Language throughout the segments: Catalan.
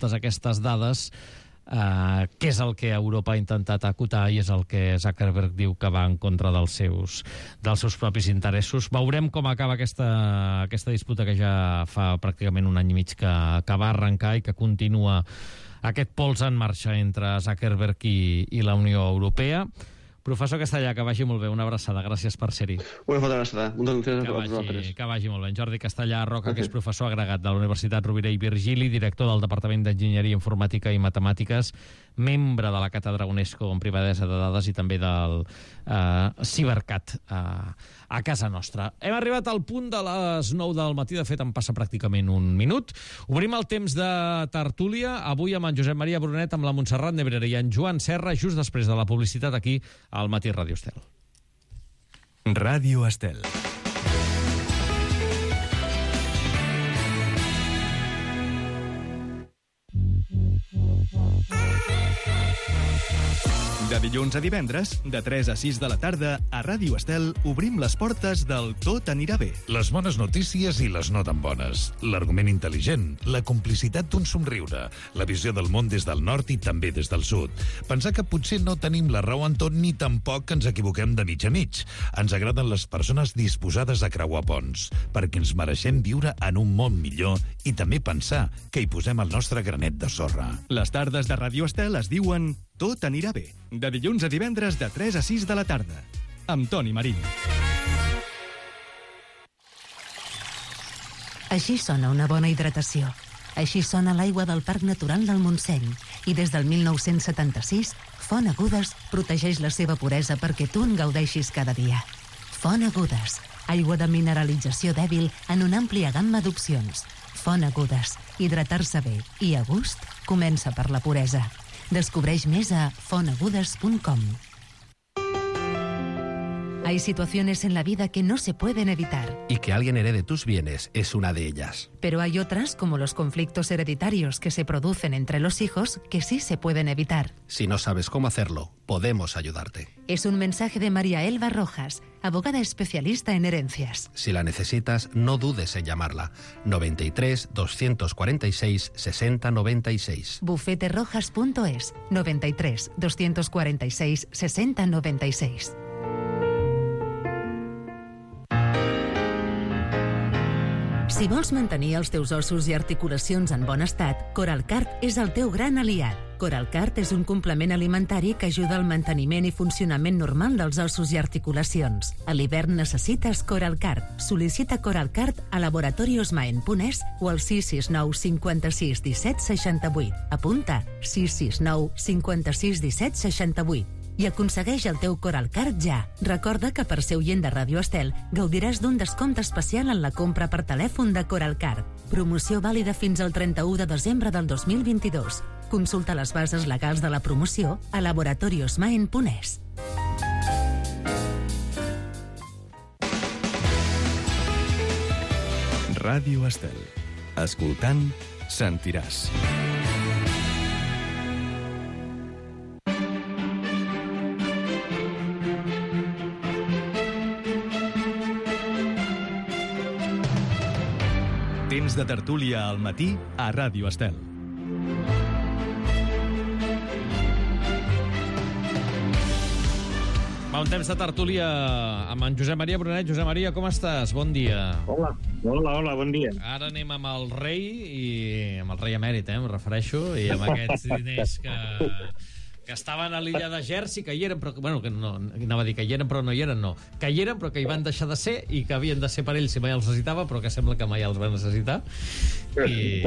totes aquestes dades, què és el que Europa ha intentat acotar i és el que Zuckerberg diu que va en contra dels seus propis interessos. Veurem com acaba aquesta disputa que ja fa pràcticament un any i mig que va arrencar i que continua aquest pols en marxa entre Zuckerberg i la Unió Europea. Professor Castellà, que vagi molt bé, una abraçada, gràcies per ser-hi. Una forta abraçada, moltes gràcies a vosaltres. Que vagi molt bé. En Jordi Castellà Roca, que és professor agregat de la Universitat Rovira i Virgili, director del Departament d'Enginyeria Informàtica i Matemàtiques, membre de la Càtedra UNESCO en Privadesa de Dades i també del Cibercat a casa nostra. Hem arribat al punt de les 9 del matí, de fet en passa pràcticament un minut. Obrim el temps de tertúlia, avui amb en Josep Maria Brunet, amb la Montserrat Nebrera i en Joan Serra, just després de la publicitat aquí al Matí Ràdio Estel. Ràdio Estel. De dilluns a divendres, de 3 a 6 de la tarda, a Ràdio Estel obrim les portes del Tot anirà bé. Les bones notícies i les no tan bones. L'argument intel·ligent, la complicitat d'un somriure, la visió del món des del nord i també des del sud. Pensar que potser no tenim la raó en tot ni tampoc que ens equivoquem de mig a mig. Ens agraden les persones disposades a creuar ponts, perquè ens mereixem viure en un món millor i també pensar que hi posem el nostre granet de sorra. Les tardes de Ràdio Estel es diuen Tot anirà bé. De dilluns a divendres de 3 a 6 de la tarda. Amb Toni Marín. Així sona una bona hidratació. Així sona l'aigua del Parc Natural del Montseny. I des del 1976, Font Agudes protegeix la seva puresa perquè tu en gaudeixis cada dia. Font Agudes. Aigua de mineralització dèbil en una àmplia gamma d'opcions. Font Agudes. Hidratar-se bé i a gust comença per la puresa. Descubreix més a fontagudes.com. Hay situaciones en la vida que no se pueden evitar. Y que alguien herede tus bienes es una de ellas. Pero hay otras, como los conflictos hereditarios que se producen entre los hijos, que sí se pueden evitar. Si no sabes cómo hacerlo, podemos ayudarte. Es un mensaje de María Elba Rojas, abogada especialista en herencias. Si la necesitas, no dudes en llamarla. 93 246 60 96. Bufeterojas.es. 93 246 60 96. Si vols mantenir els teus ossos i articulacions en bon estat, Coralcart és el teu gran aliat. Coralcart és un complement alimentari que ajuda al manteniment i funcionament normal dels ossos i articulacions. A l'hivern necessites Coralcart. Sol·licita Coralcart a laboratoriosmaen.es o al 669 56 17 68. Apunta 669 56 17 68. I aconsegueix el teu Coralcart ja. Recorda que per ser oient de Ràdio Estel gaudiràs d'un descompte especial en la compra per telèfon de Coralcart. Promoció vàlida fins al 31 de desembre del 2022. Consulta les bases legals de la promoció a laboratoriosmaen.es. Ràdio Estel. Escoltant, sentiràs. Temps de tertúlia al matí a Ràdio Estel. Va, un temps de tertúlia amb en Josep Maria Brunet. Josep Maria, com estàs? Bon dia. Hola, bon dia. Ara anem amb el rei, i amb el rei emèrit, em refereixo, i amb aquests diners que estaven a l'illa de Jersey, que hi eren, però bueno, que no, anava a dir que hi eren, però no hi eren, no. Que hi eren, però que hi van deixar de ser, i que havien de ser per ells si mai els necessitava, però que sembla que mai els van necessitar. I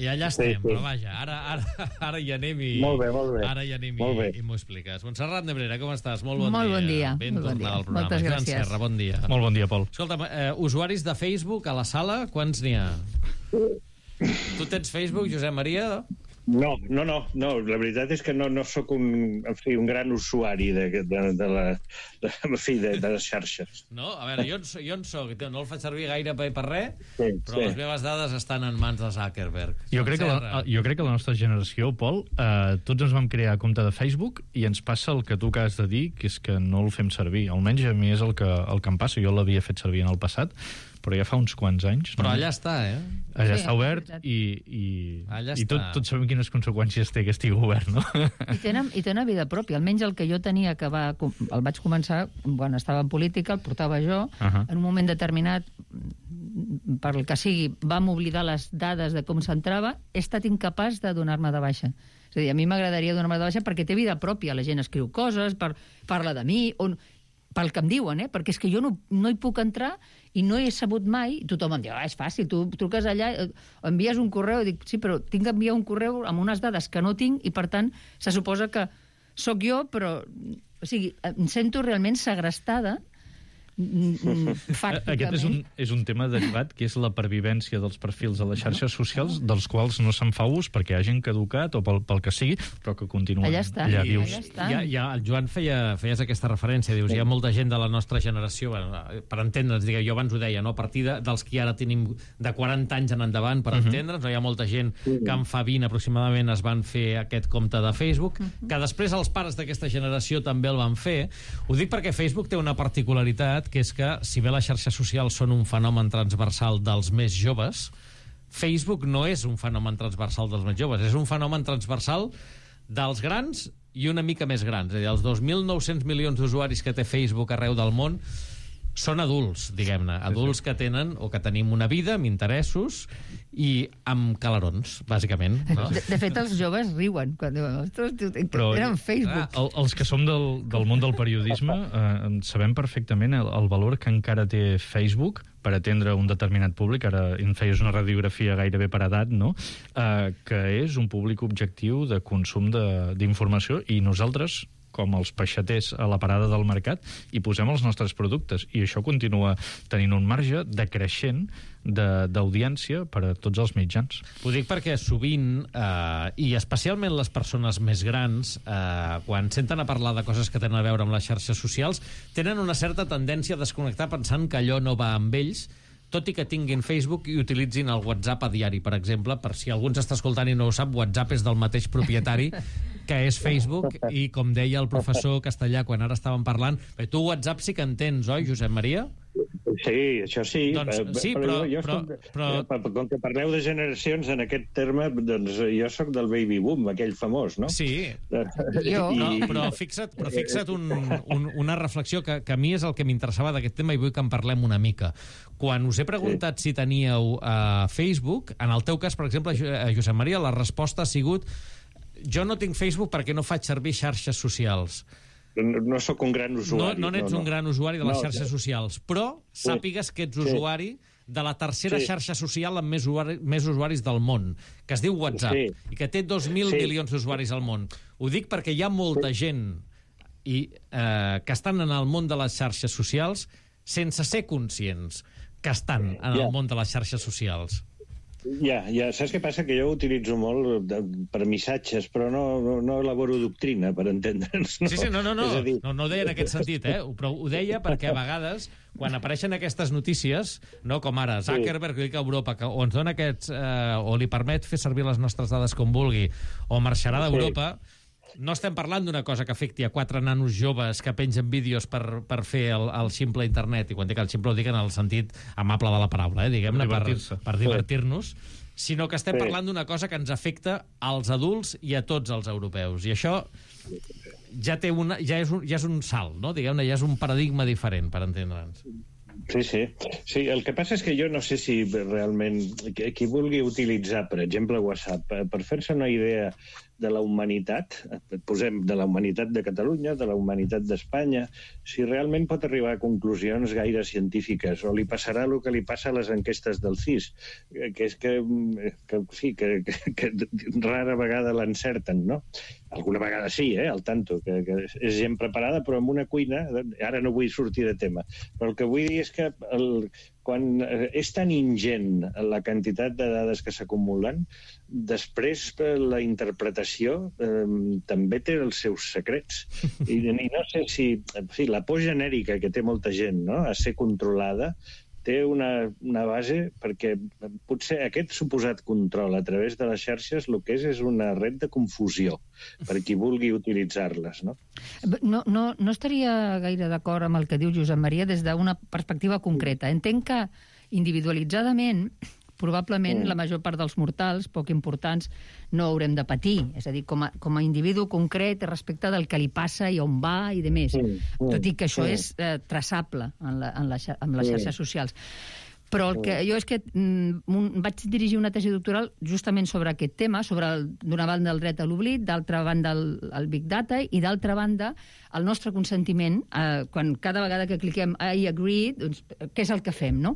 allà estem, però vaja, ara hi anem i... Molt bé. Ara hi anem i m'ho expliques. Montserrat Nebrera, com estàs? Molt bon dia. Ben tornada al programa. Moltes gràcies. Joan Serra, bon dia. Molt bon dia, Pol. Escolta'm, usuaris de Facebook a la sala, quants n'hi ha? Tu tens Facebook, Josep Maria? No, la veritat és que no sóc un gran usuari de les xarxes. No? A veure, jo en soc, no el faig servir gaire per res, però les meves dades estan en mans de Zuckerberg. Jo crec que la nostra generació, Pol, tots ens vam crear compte de Facebook i ens passa el que tu acabes de dir, que és que no el fem servir. Almenys a mi és el que em passa. Jo l'havia fet servir en el passat, però ja fa uns quants anys. Però allà està, Allà està obert i tots sabem quines conseqüències té que estigui obert, no? I tenen vida pròpia. Almenys el que jo tenia, que el vaig començar quan estava en política, el portava jo, en un moment determinat, per el que sigui, vam oblidar les dades de com s'entrava, he estat incapaç de donar-me de baixa. És a dir, a mi m'agradaria donar-me de baixa perquè té vida pròpia. La gent escriu coses, parla de mi, pel que em diuen, perquè és que jo no hi puc entrar i no he sabut mai. Tothom em diu, és fàcil, tu truques allà, envies un correu, i dic, sí, però tinc d'enviar un correu amb unes dades que no tinc i, per tant, se suposa que sóc jo, però... O sigui, em sento realment segrestada fàcticament. Aquest és un tema derivat, que és la pervivència dels perfils a les xarxes socials, dels quals no se'n fa ús perquè hagin caducat o pel que sigui, però que continuen allà vius. El Joan feies aquesta referència, dius, hi ha molta gent de la nostra generació, per entendre'ns, jo abans ho deia, a partir dels que ara tenim de 40 anys en endavant, per entendre'ns, hi ha molta gent que en fa 20 aproximadament es van fer aquest compte de Facebook, que després els pares d'aquesta generació també el van fer. Ho dic perquè Facebook té una particularitat, que és que, si bé les xarxes socials són un fenomen transversal dels més joves, Facebook no és un fenomen transversal dels més joves, és un fenomen transversal dels grans i una mica més grans. És a dir, els 2.900 milions d'usuaris que té Facebook arreu del món són adults, diguem-ne, adults que tenen o que tenim una vida amb interessos i amb calarons, bàsicament. No? De fet, els joves riuen quan diuen, ostres, eren Facebook. Els que som del món del periodisme sabem perfectament el valor que encara té Facebook per atendre un determinat públic. Ara en feies una radiografia gairebé per edat, no? Que és un públic objectiu de consum d'informació, i nosaltres, com els peixaters a la parada del mercat, i posem els nostres productes. I això continua tenint un marge decreixent d'audiència per a tots els mitjans. Ho dic perquè sovint, i especialment les persones més grans, quan senten a parlar de coses que tenen a veure amb les xarxes socials, tenen una certa tendència a desconnectar pensant que allò no va amb ells, tot i que tinguin Facebook i utilitzin el WhatsApp a diari, per exemple. Per si algú ens està escoltant i no ho sap, WhatsApp és del mateix propietari que és Facebook, i com deia el professor Castellà quan ara estàvem parlant, tu WhatsApp sí que entens, oi, Josep Maria? Sí, això sí. Doncs, sí, però... Com que parleu de generacions en aquest terme, doncs jo sóc del baby boom, aquell famós, no? Sí. Però fixa't una reflexió que a mi és el que m'interessava d'aquest tema i vull que en parlem una mica. Quan us he preguntat si teníeu Facebook, en el teu cas, per exemple, Josep Maria, la resposta ha sigut: jo no tinc Facebook perquè no faig servir xarxes socials. No sóc un gran usuari. No n'ets un gran usuari de les xarxes socials, però sàpigues que ets usuari de la tercera xarxa social amb més usuaris del món, que es diu WhatsApp, i que té 2.000 milions d'usuaris al món. Ho dic perquè hi ha molta gent que estan en el món de les xarxes socials sense ser conscients que estan en el món de les xarxes socials. Ja, saps què passa? Que jo ho utilitzo molt per missatges, però no elaboro doctrina, per entendre'ns. Sí, no ho deia en aquest sentit, però ho deia perquè a vegades, quan apareixen aquestes notícies, no, com ara Zuckerberg que a Europa, o ens dona aquests, o li permet fer servir les nostres dades com vulgui, o marxarà d'Europa, no estem parlant d'una cosa que afecti a 4 nanos joves que pengen vídeos per fer el ximple internet, i quan dic el ximple ho dic en el sentit amable de la paraula, diguem-ne, per divertir-nos, sinó que estem parlant d'una cosa que ens afecta als adults i a tots els europeus. I això ja és un salt, no? Diguem-ne, ja és un paradigma diferent, per entendre'ns. Sí, el que passa és que jo no sé si realment qui vulgui utilitzar, per exemple, WhatsApp, per fer-se una idea de la humanitat, posem de la humanitat de Catalunya, de la humanitat d'Espanya, si realment pot arribar a conclusions gaire científiques, o li passarà el que li passa a les enquestes del CIS, que és que rara vegada l'encerten, no? Alguna vegada sí, al tanto, que és gent preparada, però en una cuina, ara no vull sortir de tema, però el que vull dir és que quan és tan ingent la quantitat de dades que s'acumulen, després la interpretació també té els seus secrets. I no sé si la por genèrica que té molta gent, no?, a ser controlada, té una base, perquè potser aquest suposat control a través de les xarxes el que és una red de confusió per qui vulgui utilitzar-les, no? No estaria gaire d'acord amb el que diu Josep Maria des d'una perspectiva concreta. Entenc que individualitzadament, probablement la major part dels mortals, poc importants, no haurem de patir. És a dir, com a individu concret respecte del que li passa i on va i de més. Tot i que això és traçable en les xarxes socials. Però el que jo és que vaig dirigir una tesi doctoral justament sobre aquest tema, sobre, d'una banda, el dret a l'oblit, d'altra banda, el Big Data, i d'altra banda, el nostre consentiment, quan cada vegada que cliquem I agree, doncs, què és el que fem, no?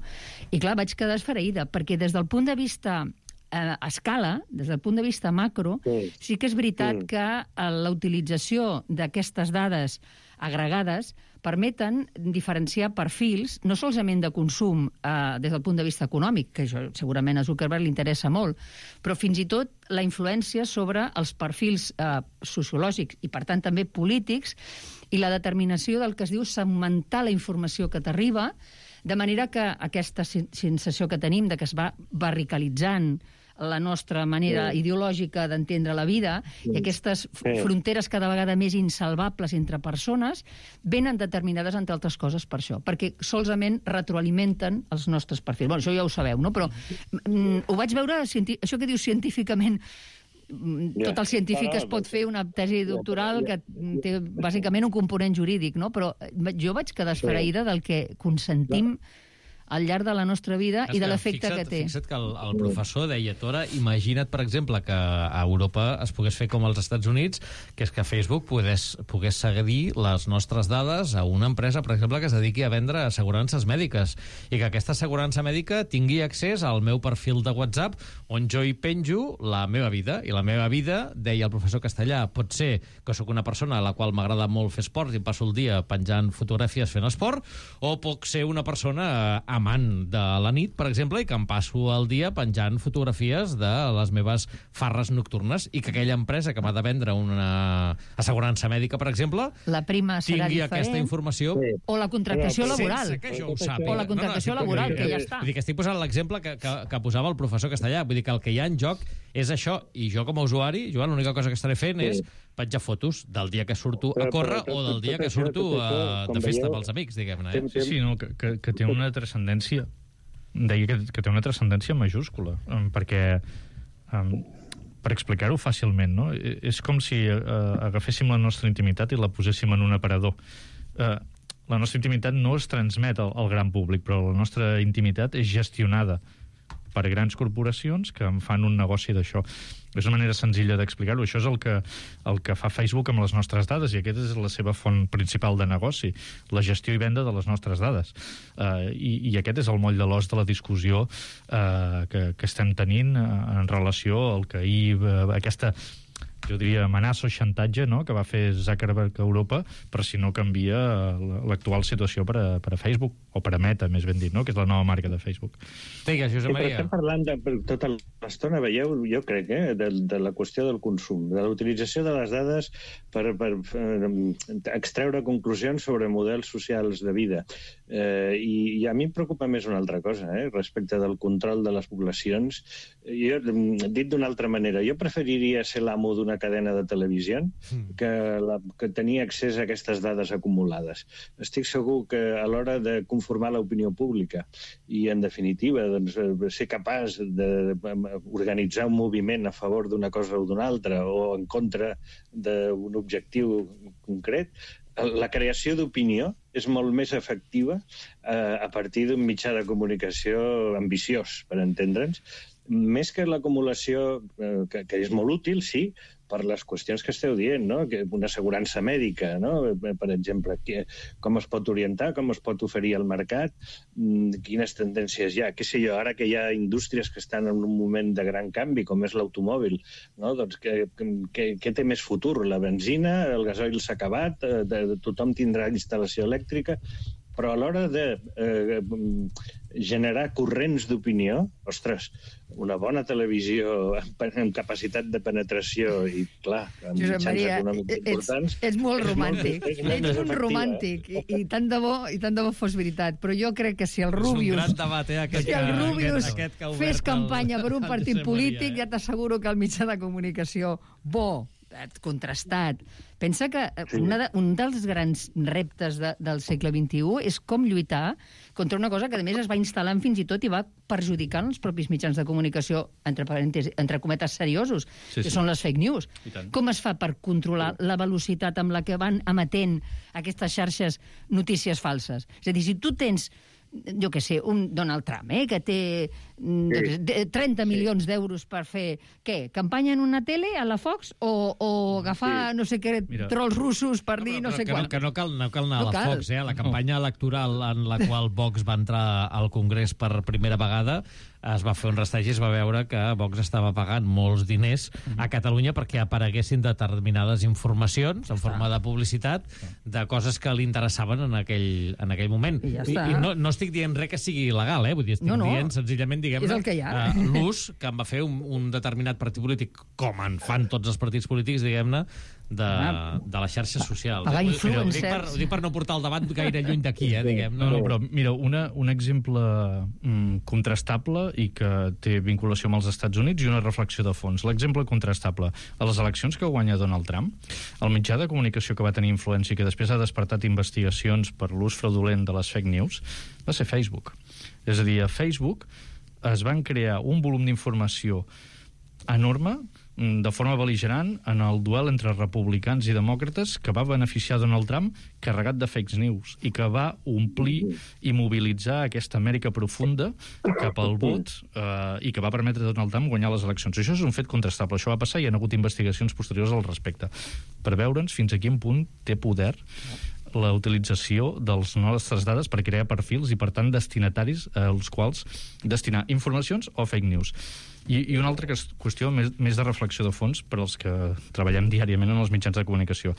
I clar, vaig quedar esfereïda, perquè des del punt de vista a escala, des del punt de vista macro, sí que és veritat que la utilització d'aquestes dades agregades permeten diferenciar perfils, no solament de consum des del punt de vista econòmic, que això segurament a Zuckerberg li interessa molt, però fins i tot la influència sobre els perfils sociològics i, per tant, també polítics, i la determinació del que es diu segmentar la informació que t'arriba, de manera que aquesta sensació que tenim de que es va barricalitzant la nostra manera ideològica d'entendre la vida i aquestes fronteres cada vegada més insalvables entre persones venen determinades, entre altres coses, per això, perquè solament retroalimenten els nostres perfils. Bueno, això ja ho sabeu, no? Però ho vaig veure, això que dius científicament, tot el científic es pot fer una tesi doctoral que té bàsicament un component jurídic, no? Però jo vaig quedar esfereïda del que consentim al llarg de la nostra vida i de l'efecte que té. Fixa't que el professor deia, Tora, imagina't, per exemple, que a Europa es pogués fer com als Estats Units, que és que Facebook pogués cedir les nostres dades a una empresa, per exemple, que es dediqui a vendre assegurances mèdiques, i que aquesta assegurança mèdica tingui accés al meu perfil de WhatsApp, on jo hi penjo la meva vida. I la meva vida, deia el professor Castellà, pot ser que sóc una persona a la qual m'agrada molt fer esport i passo el dia penjant fotografies fent esport, o puc ser una persona amant de la nit, per exemple, i que em passo el dia penjant fotografies de les meves farres nocturnes, i que aquella empresa que m'ha de vendre una assegurança mèdica, per exemple, la prima serà tingui diferent, aquesta informació. O la contractació laboral. Sense que jo ho sàpiga. O la contractació laboral, que ja està. Vull dir que estic posant l'exemple que posava el professor Castellà. Vull dir que el que hi ha en joc és això, i jo com a usuari, Joan, l'única cosa que estaré fent és penjar fotos del dia que surto a córrer o del dia que surto de festa amb els amics, diguem-ne. Sí, no, que té una transcendència. Deia que té una transcendència majúscula, perquè, per explicar-ho fàcilment, no? És com si agaféssim la nostra intimitat i la poséssim en un aparador. La nostra intimitat no es transmet al gran públic, però la nostra intimitat és gestionada per grans corporacions que en fan un negoci d'això. És una manera senzilla d'explicar-ho. Això és el que fa Facebook amb les nostres dades, i aquesta és la seva font principal de negoci, la gestió i venda de les nostres dades. I aquest és el moll de l'os de la discussió que estem tenint en relació al que aquesta, jo diria, amenaça o xantatge, no?, que va fer Zuckerberg a Europa, per si no canvia l'actual situació per a Facebook, o per a Meta, més ben dit, no?, que és la nova marca de Facebook. Digues, Josep Maria. Estem parlant tota l'estona, veieu, jo crec, de la qüestió del consum, de la utilització de les dades per extreure conclusions sobre models socials de vida. I a mi em preocupa més una altra cosa, respecte del control de les poblacions. Jo, dit d'una altra manera, jo preferiria ser l'amo d'una cadena de televisió que tenir accés a aquestes dades acumulades. Estic segur que a l'hora de conformar l'opinió pública i, en definitiva, doncs, ser capaç d'organitzar un moviment a favor d'una cosa o d'una altra o en contra d'un objectiu concret, la creació d'opinió és molt més efectiva a partir d'un mitjà de comunicació ambiciós, per entendre'ns, més que l'acumulació, que és molt útil, sí, per les qüestions que esteu dient, no? Una assegurança mèdica, no? Per exemple, com es pot orientar, com es pot oferir al mercat, quines tendències hi ha. Què sé jo, ara que hi ha indústries que estan en un moment de gran canvi, com és l'automòbil, no? Doncs què té més futur? La benzina, el gasoil s'ha acabat, tothom tindrà instal·lació elèctrica, però a l'hora de generar corrents d'opinió, ostres, una bona televisió amb capacitat de penetració i, clar, amb mitjans econòmics importants... Ets molt romàntic. Ets un romàntic. I tant de bo fos veritat. Però jo crec que si el Rubius... És un gran debat, si el Rubius fes campanya per un partit polític, ja t'asseguro que el mitjà de comunicació bo contrastat. Pensa que un dels grans reptes del segle XXI és com lluitar contra una cosa que, a més, es va instal·lant fins i tot i va perjudicant els propis mitjans de comunicació, entre cometes, seriosos, que són les fake news. Com es fa per controlar la velocitat amb la que van emetent aquestes xarxes notícies falses? És a dir, si tu tens jo què sé, un Donald Trump, que té 30 milions d'euros per fer, què, campanya en una tele, a la Fox, o agafar, no sé què, trolls russos per dir no sé quant. Que no cal anar a la Fox, la campanya electoral en la qual Vox va entrar al Congrés per primera vegada, es va fer un rastreig i es va veure que Vox estava pagant molts diners a Catalunya perquè apareguessin determinades informacions en forma de publicitat de coses que li interessaven en aquell moment. I no estic dient res que sigui il·legal, vull dir, estic dient senzillament, diguem-ne, l'ús que en va fer un determinat partit polític, com en fan tots els partits polítics, diguem-ne, de les xarxes socials. Pagar influencers. Ho dic per no portar el debat gaire lluny d'aquí, diguem-ne. No, però mira, un exemple contrastable i que té vinculació amb els Estats Units i una reflexió de fons. L'exemple contrastable. A les eleccions que guanya Donald Trump, el mitjà de comunicació que va tenir influència i que després ha despertat investigacions per l'ús fraudulent de les fake news va ser Facebook. És a dir, a Facebook es van crear un volum d'informació enorme, de forma bel·ligerant, en el duel entre republicans i demòcrates que va beneficiar Donald Trump carregat de fake news i que va omplir i mobilitzar aquesta Amèrica profunda cap al vot i que va permetre a Donald Trump guanyar les eleccions. Això és un fet contrastable. Això va passar i hi ha hagut investigacions posteriors al respecte per veure'ns fins a quin punt té poder la utilització de les nostres dades per crear perfils i, per tant, destinataris als quals destinar informacions o fake news. I una altra qüestió més de reflexió de fons per als que treballem diàriament en els mitjans de comunicació.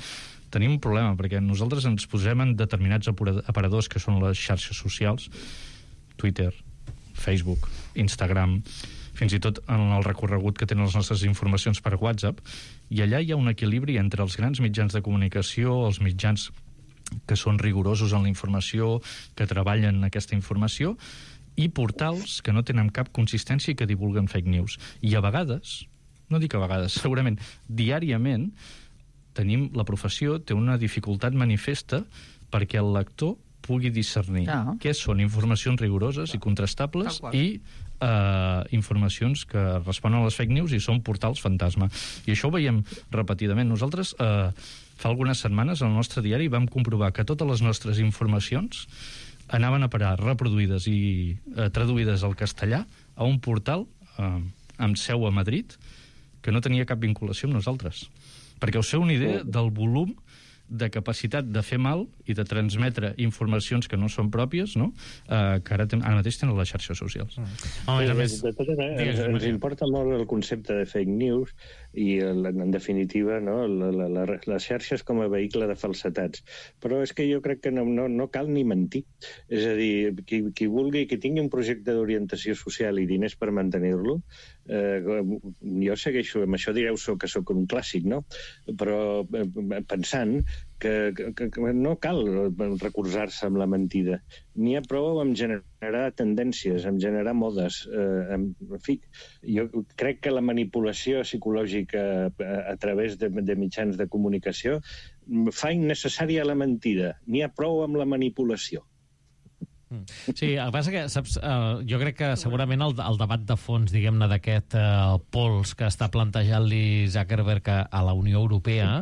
Tenim un problema, perquè nosaltres ens posem en determinats aparadors que són les xarxes socials, Twitter, Facebook, Instagram, fins i tot en el recorregut que tenen les nostres informacions per WhatsApp, i allà hi ha un equilibri entre els grans mitjans de comunicació, els mitjans que són rigorosos en la informació, que treballen aquesta informació, i portals que no tenen cap consistència i que divulguen fake news. I a vegades, no dic a vegades, segurament diàriament tenim, la professió té una dificultat manifesta perquè el lector pugui discernir què són informacions rigoroses i contrastables i informacions que responen a les fake news i són portals fantasma. I això ho veiem repetidament. Nosaltres fa algunes setmanes al nostre diari vam comprovar que totes les nostres informacions anaven a parar reproduïdes i traduïdes al castellà a un portal amb seu a Madrid que no tenia cap vinculació amb nosaltres. Perquè us feu una idea del volum de capacitat de fer mal i de transmetre informacions que no són pròpies, no? Que ara mateix tenen les xarxes socials. Ens importa molt el concepte de fake news i, en definitiva, no, les xarxes com a vehicle de falsetats. Però és que jo crec que no cal ni mentir. És a dir, qui vulgui, qui tingui un projecte d'orientació social i diners per mantenir-lo, jo segueixo, amb això direu que sóc un clàssic, no? Però pensant que no cal recolzar-se amb la mentida. N'hi ha prou amb generar tendències, amb generar modes. En fi, jo crec que la manipulació psicològica a través de mitjans de comunicació fa innecessària la mentida. N'hi ha prou amb la manipulació. Sí, el que passa que, saps, jo crec que segurament el debat de fons, diguem-ne, d'aquest pols que està plantejant-li Zuckerberg a la Unió Europea,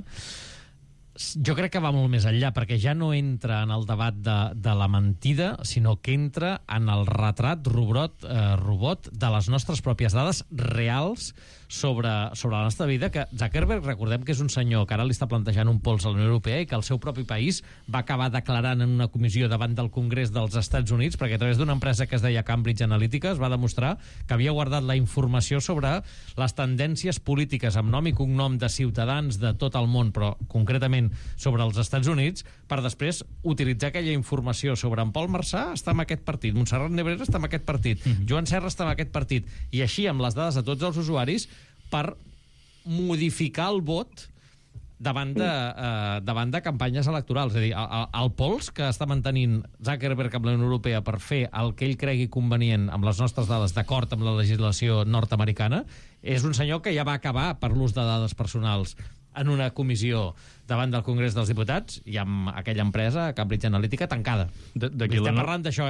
jo crec que va molt més enllà, perquè ja no entra en el debat de la mentida, sinó que entra en el retrat robot de les nostres pròpies dades reals sobre la nostra vida, que Zuckerberg, recordem que és un senyor que ara li està plantejant un pols a la Unió Europea i que el seu propi país va acabar declarant en una comissió davant del Congrés dels Estats Units, perquè a través d'una empresa que es deia Cambridge Analytica es va demostrar que havia guardat la informació sobre les tendències polítiques amb nom i cognom de ciutadans de tot el món, però concretament sobre els Estats Units, per després utilitzar aquella informació sobre en Pol Marçà està en aquest partit, Montserrat Nebrera està en aquest partit, Joan Serra està en aquest partit, i així amb les dades de tots els usuaris per modificar el vot davant de campanyes electorals. És a dir, el pols que està mantenint Zuckerberg amb la Unió Europea per fer el que ell cregui convenient amb les nostres dades d'acord amb la legislació nord-americana és un senyor que ja va acabar per l'ús de dades personals en una comissió davant del Congrés dels Diputats i amb aquella empresa, Cambridge Analytica, tancada. Estem parlant d'això,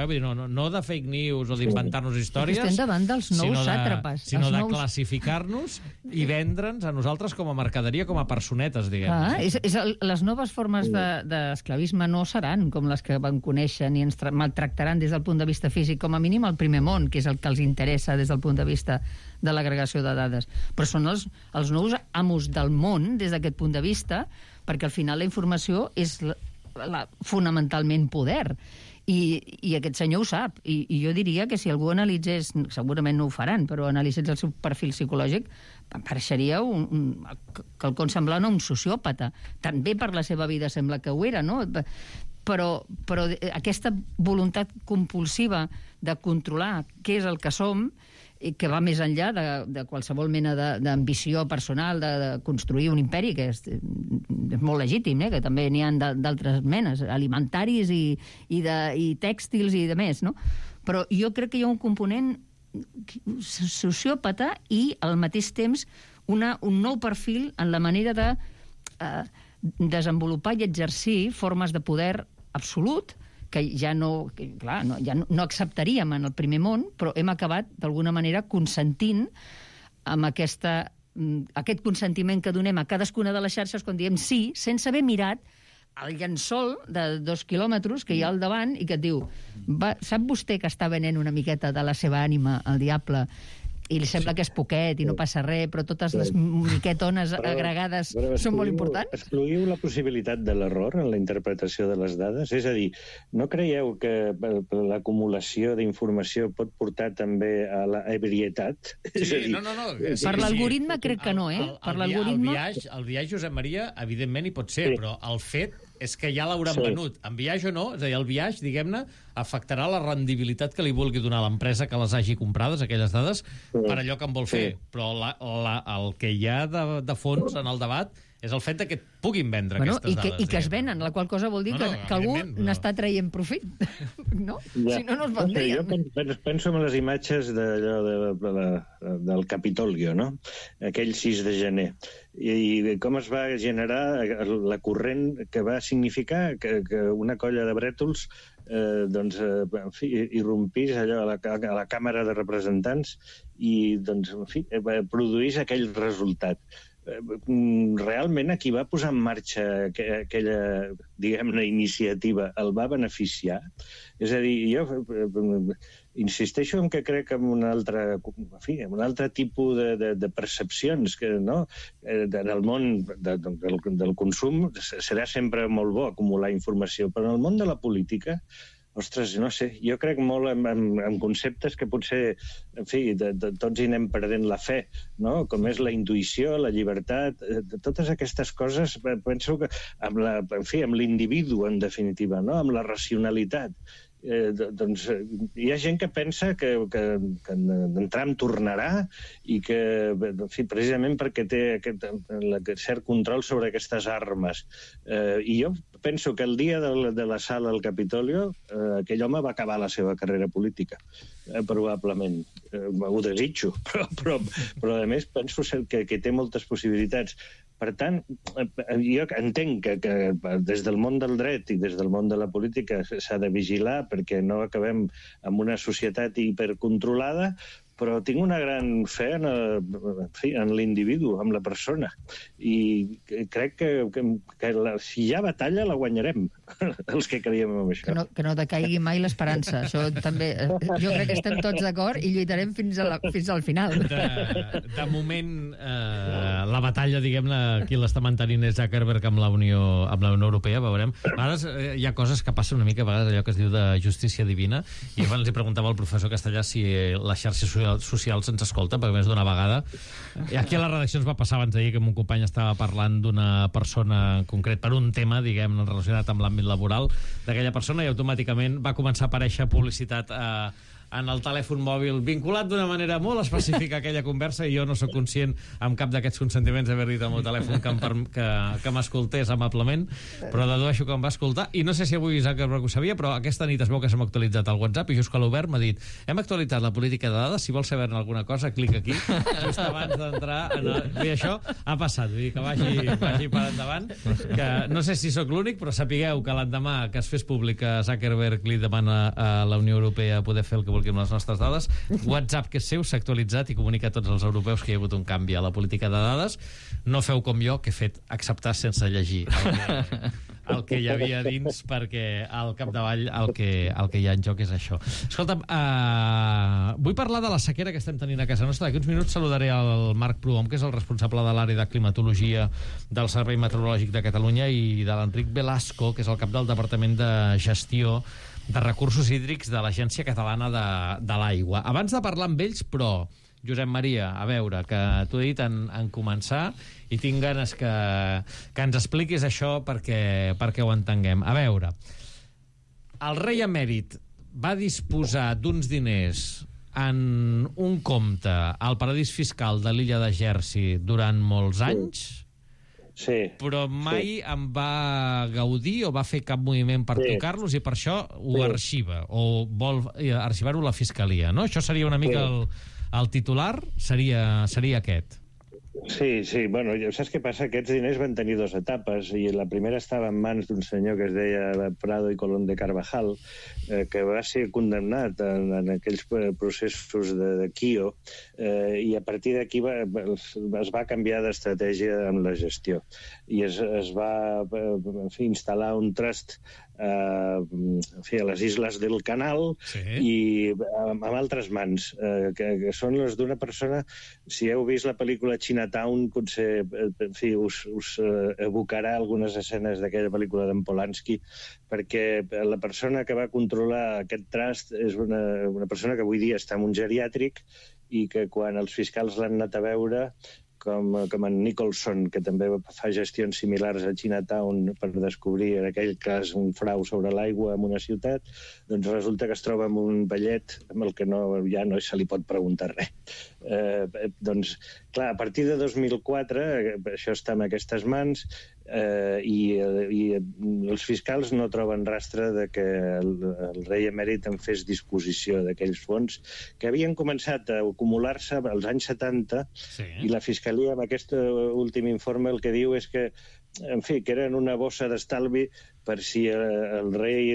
no de fake news o d'inventar-nos històries, estem davant dels nous sàtrapes, sinó de classificar-nos i vendre'ns a nosaltres com a mercaderia, com a personetes, diguem. Les noves formes d'esclavisme no seran com les que van conèixer ni ens maltractaran des del punt de vista físic, com a mínim al primer món, que és el que els interessa des del punt de vista de l'agregació de dades. Però són els nous amos del món des d'aquest punt de vista, perquè al final la informació és fonamentalment poder. I aquest senyor ho sap. I jo diria que si algú analitzés, segurament no ho faran, però analitzés el seu perfil psicològic, pareixeria quelcom semblant a un sociòpata. També per la seva vida sembla que ho era, no? Però aquesta voluntat compulsiva de controlar què és el que som, que va més enllà de qualsevol mena d'ambició personal, de construir un imperi, que és molt legítim, que també n'hi ha d'altres menes, alimentaris i tèxtils i de més, no? Però jo crec que hi ha un component sociòpata i, al mateix temps, un nou perfil en la manera de desenvolupar i exercir formes de poder absolut, que ja no acceptaríem en el primer món, però hem acabat, d'alguna manera, consentint amb aquest consentiment que donem a cadascuna de les xarxes quan diem sí, sense haver mirat el llençol de 2 quilòmetres que hi ha al davant i que et diu, sap vostè que està venent una miqueta de la seva ànima al diable i li sembla que és poquet i no passa res, però totes les miquetones agregades són molt importants? Excluïu la possibilitat de l'error en la interpretació de les dades? És a dir, no creieu que l'acumulació d'informació pot portar també a l'ebrietat? Sí, no. Per l'algoritme crec que no, Per l'algoritme... El viatge, Josep Maria, evidentment hi pot ser, però el fet és que ja l'hauran venut. En viatge o no, és a dir, el viatge, diguem-ne, afectarà la rendibilitat que li vulgui donar l'empresa que les hagi comprades, aquelles dades, per allò que en vol fer. Però el que hi ha de fons en el debat és el fet que et puguin vendre aquestes dades. I que es venen, la qual cosa vol dir que algú n'està traient profit. No? Si no, no es vendrien. Jo penso en les imatges del Capitolio, no? Aquell 6 de gener. I com es va generar la corrent que va significar que una colla de brètols irrompís allò a la Càmera de Representants i produís aquell resultat. Realment a qui va posar en marxa aquella, diguem-ne, iniciativa el va beneficiar? És a dir, jo insisteixo en que crec en un altre tipus de percepcions, que en el món del consum serà sempre molt bo acumular informació, però en el món de la política, ostres, no sé, jo crec molt en conceptes que potser, en fi, tots hi anem perdent la fe, no? Com és la intuïció, la llibertat, totes aquestes coses, penso que amb l'individu, en definitiva, no? Amb la racionalitat. Doncs hi ha gent que pensa que en Trump tornarà i que, en fi, precisament perquè té cert control sobre aquestes armes. I jo penso que el dia de l'assalt al Capitolio aquell home va acabar la seva carrera política, probablement. Ho desitjo, però a més penso que té moltes possibilitats. Per tant, jo entenc que des del món del dret i des del món de la política s'ha de vigilar perquè no acabem amb una societat hipercontrolada, però tinc una gran fe en l'individu, en la persona. I crec que si hi ha batalla la guanyarem, els que creiem en això. Que no decaigui mai l'esperança. Això també... Jo crec que estem tots d'acord i lluitarem fins al final. De moment, la batalla, diguem-ne, qui l'està mantenint és Zuckerberg amb la Unió Europea, veurem. A vegades hi ha coses que passen una mica, a vegades allò que es diu de justícia divina, i abans li preguntava al professor Castellà si la xarxa social se'ns escolta, perquè més d'una vegada. I aquí a la redacció ens va passar abans d'ahir que un company estava parlant d'una persona en concret per un tema, diguem, relacionat amb l'àmbit laboral d'aquella persona, i automàticament va començar a aparèixer publicitat en el telèfon mòbil, vinculat d'una manera molt específica a aquella conversa, i jo no sóc conscient amb cap d'aquests consentiments d'haver dit al meu telèfon que m'escoltés amablement, però dedueixo que em va escoltar, i no sé si avui Zuckerberg ho sabia, però aquesta nit es veu que s'ha actualitzat el WhatsApp, i just que l'Obert m'ha dit, hem actualitzat la política de dades, si vols saber alguna cosa, clica aquí, just abans d'entrar i això ha passat, vull dir que vagi per endavant, que no sé si sóc l'únic, però sapigueu que l'endemà que es fes públic que Zuckerberg li demana a la Unió Europea poder fer el que vulgui amb les nostres dades, WhatsApp, que és seu, s'ha actualitzat i comunica a tots els europeus que hi ha hagut un canvi a la política de dades. No feu com jo, que he fet acceptar sense llegir el que hi havia dins, perquè al capdavall el que hi ha en joc és això. Escolta'm, vull parlar de la sequera que estem tenint a casa nostra. D'aquí uns minuts saludaré el Marc Prohom, que és el responsable de l'àrea de climatologia del Servei Meteorològic de Catalunya, i de l'Enric Velasco, que és el cap del Departament de Gestió de Recursos Hídrics de l'Agència Catalana de l'Aigua. Abans de parlar amb ells, però, Josep Maria, a veure, que t'ho he dit en començar i tinc ganes que ens expliquis això perquè ho entenguem. A veure, el rei emèrit va disposar d'uns diners en un compte al paradís fiscal de l'illa de Jersey durant molts anys, sí, però mai en va gaudir o va fer cap moviment per tocar-los, i per això ho arxiva, o vol arxivar-ho la Fiscalia, no? Això seria una mica el titular, seria aquest. Sí, bueno, saps què passa? Aquests diners van tenir dues etapes, i la primera estava en mans d'un senyor que es deia Prado i Colón de Carvajal, que va ser condemnat en aquells processos de Quio, i a partir d'aquí es va canviar d'estratègia amb la gestió, i es va instal·lar un trust a les Isles del Canal, i amb altres mans, que són les d'una persona. Si heu vist la pel·lícula Chinatown, potser us evocarà algunes escenes d'aquella pel·lícula d'en Polanski, perquè la persona que va controlar aquest trust és una persona que avui dia està en un geriàtric, i que quan els fiscals l'han anat a veure, com en Nicholson, que també fa gestions similars a Chinatown per descobrir en aquell cas un frau sobre l'aigua en una ciutat, doncs resulta que es troba amb un vellet amb el que ja no se li pot preguntar res. Doncs, clar, a partir de 2004 això està en aquestes mans, i els fiscals no troben rastre de que el rei emèrit en fes disposició d'aquells fons que havien començat a acumular-se als anys 70, i la Fiscalia, amb aquest últim informe, el que diu és que, en fi, que eren una bossa d'estalvi per si el rei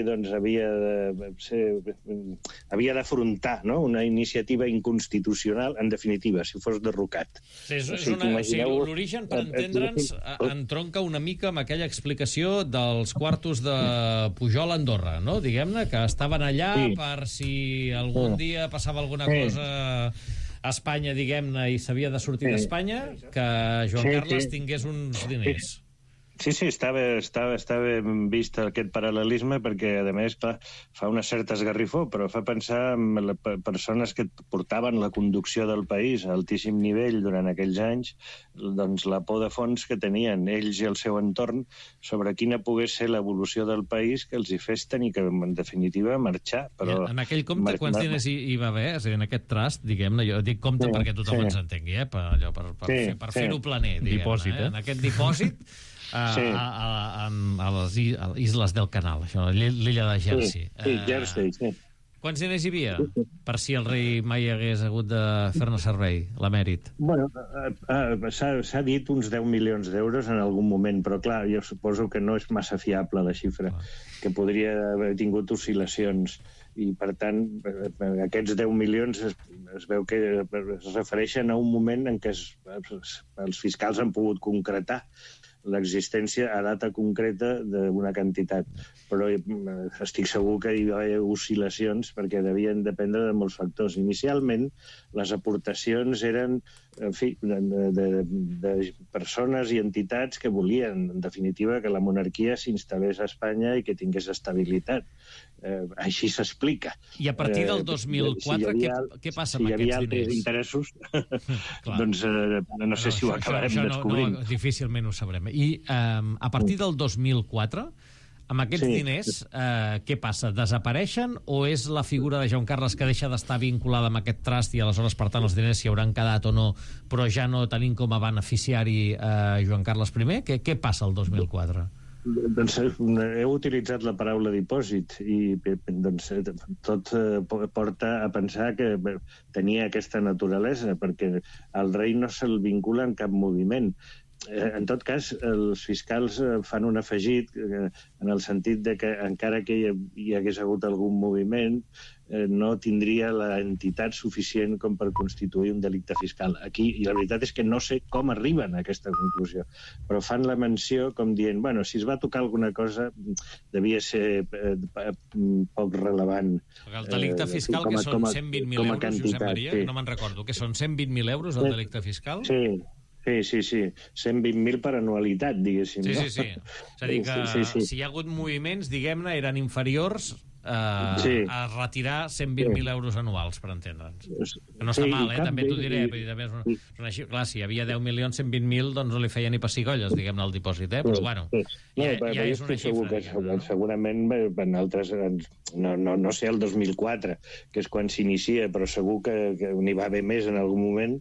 havia d'afrontar una iniciativa inconstitucional, en definitiva, si fos derrocat. L'origen, per entendre'ns, entronca una mica amb aquella explicació dels quartos de Pujol a Andorra, no? Diguem-ne, que estaven allà per si algun dia passava alguna cosa a Espanya, diguem-ne, i s'havia de sortir d'Espanya, que Joan Carles tingués uns diners. Sí, està ben vist aquest paral·lelisme, perquè, a més, fa una certa esgarrifó, però fa pensar en les persones que portaven la conducció del país a altíssim nivell durant aquells anys, doncs la por de fons que tenien ells i el seu entorn sobre quina pogués ser l'evolució del país que els hi fes tenir que, en definitiva, marxar. Però en aquell compte, quants diners hi va haver? És a dir, en aquest trust, diguem-ne, jo dic compte perquè tothom ens entengui, per fer-ho planer, diguem-ne. En aquest dipòsit, a les Isles del Canal, això, l'illa de Jersey. Jersey, sí. Quants diners hi havia? Per si el rei mai hagués hagut de fer-ne servei, l'emèrit. Bueno, s'ha dit uns 10 milions d'euros en algun moment, però clar, jo suposo que no és massa fiable la xifra, que podria haver tingut oscil·lacions. I, per tant, aquests 10 milions es veu que es refereixen a un moment en què els fiscals han pogut concretar l'existència a data concreta d'una quantitat. Però estic segur que hi va haver oscil·lacions perquè devien dependre de molts factors. Inicialment, les aportacions eren, en fi, de persones i entitats que volien, en definitiva, que la monarquia s'instal·lés a Espanya i que tingués estabilitat. Així s'explica. I a partir del 2004, què passa amb aquests diners? Si hi havia altres interessos, doncs no sé si ho acabarem de descobrir. Difícilment ho sabrem. I a partir del 2004, Amb aquests diners, què passa? Desapareixen o és la figura de Joan Carles que deixa d'estar vinculada amb aquest trust i aleshores, per tant, els diners s'hi hauran quedat o no, però ja no tenim com a beneficiari Joan Carles I? Què passa el 2004? Doncs heu utilitzat la paraula dipòsit i doncs, tot porta a pensar que tenia aquesta naturalesa, perquè al rei no se'l vincula en cap moviment. En tot cas, els fiscals fan un afegit en el sentit de que encara que hi hagués hagut algun moviment, no tindria l'entitat suficient com per constituir un delicte fiscal. Aquí, i la veritat és que no sé com arriben a aquesta conclusió, però fan la menció com dient, bueno, si es va tocar alguna cosa, devia ser poc relevant. El delicte fiscal, que són 120.000 euros, Josep Maria, no me'n recordo, que són 120.000 euros el delicte fiscal? Sí. Sí. 120.000 per anualitat, diguéssim. Sí. És a dir, que si hi ha hagut moviments, diguem-ne, eren inferiors a retirar 120.000 euros anuals, per entendre'ns. Que no està mal, també t'ho diré. Clar, si hi havia 10 milions, 120.000, doncs no li feia ni pessigolles, diguem-ne, el dipòsit, però bueno, ja és una xifra. Segurament, en altres, no sé, el 2004, que és quan s'inicia, però segur que n'hi va haver més en algun moment,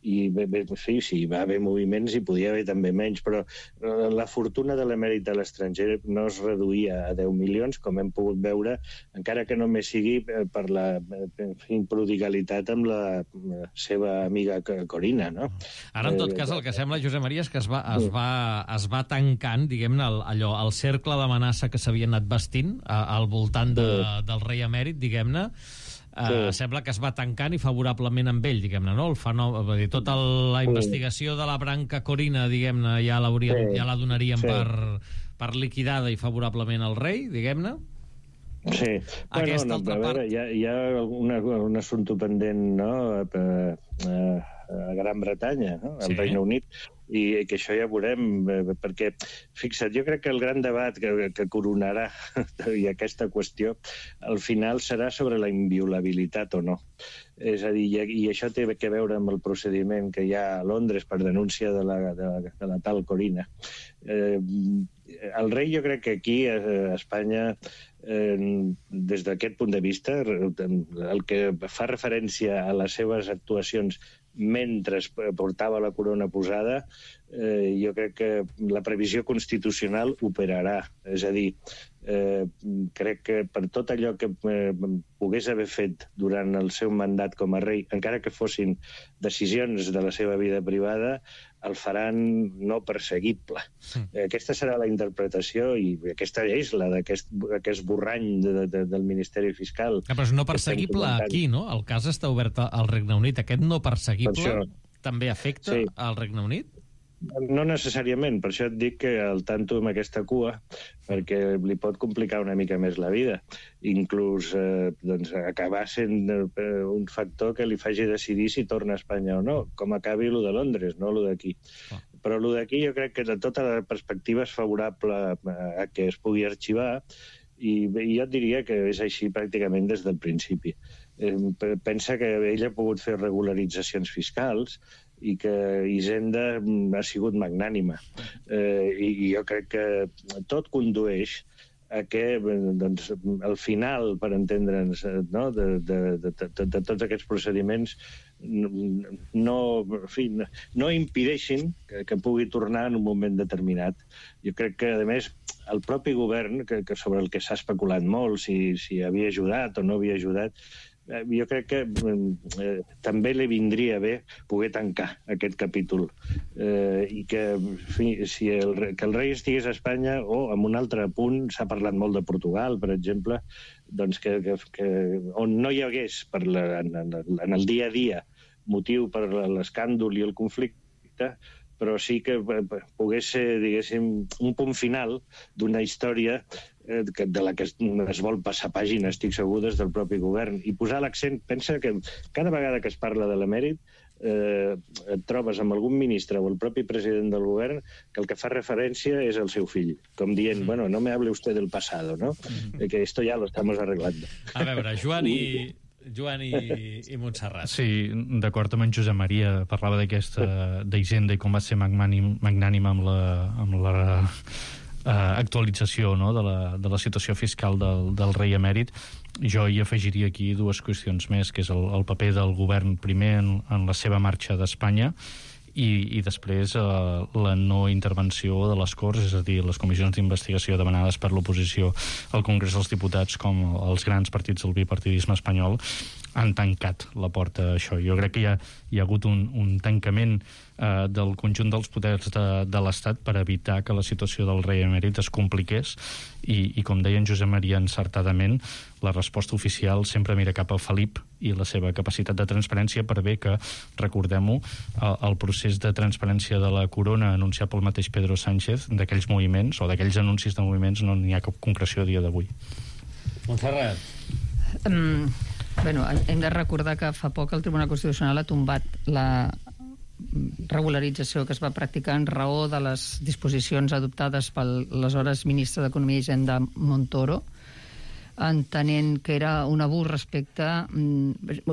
i sí, hi va haver moviments i podia haver també menys, però la fortuna de l'emèrit a l'estranger no es reduïa a 10 milions, com hem pogut veure, encara que només sigui per la prodigalitat amb la seva amiga Corina, no? Ara, en tot cas, el que sembla, Josep Maria, és que es va tancant, diguem-ne, el cercle d'amenaça que s'havia anat vestint al voltant del rei emèrit, diguem-ne. Sembla que es va tancant i favorablement amb ell, diguem-ne, no? Tota la investigació de la branca Corina, diguem-ne, ja la donaríem per liquidada i favorablement al rei, diguem-ne? Sí. Aquesta altra part... Hi ha un assumpte pendent, no?, a Gran Bretanya, no?, al Regne Unit, i que això ja veurem, perquè, fixa't, jo crec que el gran debat que coronarà i aquesta qüestió, al final serà sobre la inviolabilitat o no. És a dir, i això té a veure amb el procediment que hi ha a Londres per denúncia de la tal Corina. El rei, jo crec que aquí, a Espanya, des d'aquest punt de vista, el que fa referència a les seves actuacions mentre portava la corona posada, jo crec que la previsió constitucional operarà. És a dir, crec que per tot allò que pogués haver fet durant el seu mandat com a rei, encara que fossin decisions de la seva vida privada, el faran no perseguible. Aquesta serà la interpretació i aquesta és la d'aquest esborrany del Ministeri Fiscal. Però és no perseguible aquí, no? El cas està obert al Regne Unit. Aquest no perseguible també afecta al Regne Unit? No necessàriament, per això et dic que al tanto amb aquesta cua, perquè li pot complicar una mica més la vida. Inclús acabar sent un factor que li faci decidir si torna a Espanya o no, com acabi lo de Londres, no lo d'aquí. Però lo d'aquí jo crec que de tota la perspectiva és favorable a que es pugui arxivar, i jo et diria que és així pràcticament des del principi. Pensa que ell ha pogut fer regularitzacions fiscals i que Hisenda ha sigut magnànima. I jo crec que tot condueix a que al final, per entendre'ns, de tots aquests procediments no impedeixin que pugui tornar en un moment determinat. Jo crec que, a més, el propi govern, sobre el que s'ha especulat molt, si havia ajudat o no havia ajudat, jo crec que també li vindria bé poder tancar aquest capítol i que el rei estigués a Espanya, o en un altre punt s'ha parlat molt de Portugal, per exemple, doncs que on no hi hagués en el dia a dia motiu per l'escàndol i el conflicte, però sí que pogués ser, diguéssim, un punt final d'una història de la que es vol passar pàgina, estic segur, des del propi govern. I posar l'accent, pensa que cada vegada que es parla de l'emèrit et trobes amb algun ministre o el propi president del govern que el que fa referència és el seu fill, com dient, bueno, no me hable usted del pasado, ¿no? Que esto ya lo estamos arreglando. A veure, Joan i Montserrat. Sí, d'acord amb en Josep Maria, parlava d'aquesta d'Hisenda i com va ser magnànima amb actualització, no?, de la situació fiscal del rei emèrit. Jo hi afegiria aquí dues qüestions més, que és el paper del govern primer en la seva marxa d'Espanya i després la no intervenció de les Corts, és a dir, les comissions d'investigació demanades per l'oposició al Congrés dels Diputats, com els grans partits del bipartidisme espanyol, han tancat la porta a això. Jo crec que hi ha hagut un tancament del conjunt dels poders de l'Estat per evitar que la situació del rei emèrit es compliqués i com deia en Josep Maria encertadament, la resposta oficial sempre mira cap a Felip i la seva capacitat de transparència, per bé que, recordem-ho, el procés de transparència de la corona anunciat pel mateix Pedro Sánchez, d'aquells moviments o d'aquells anuncis de moviments, no n'hi ha cap concreció a dia d'avui. Montserrat. Bueno, hem de recordar que fa poc el Tribunal Constitucional ha tombat la regularització que es va practicar en raó de les disposicions adoptades pel aleshores ministre d'Economia i Hisenda Montoro, entenent que era un abús respecte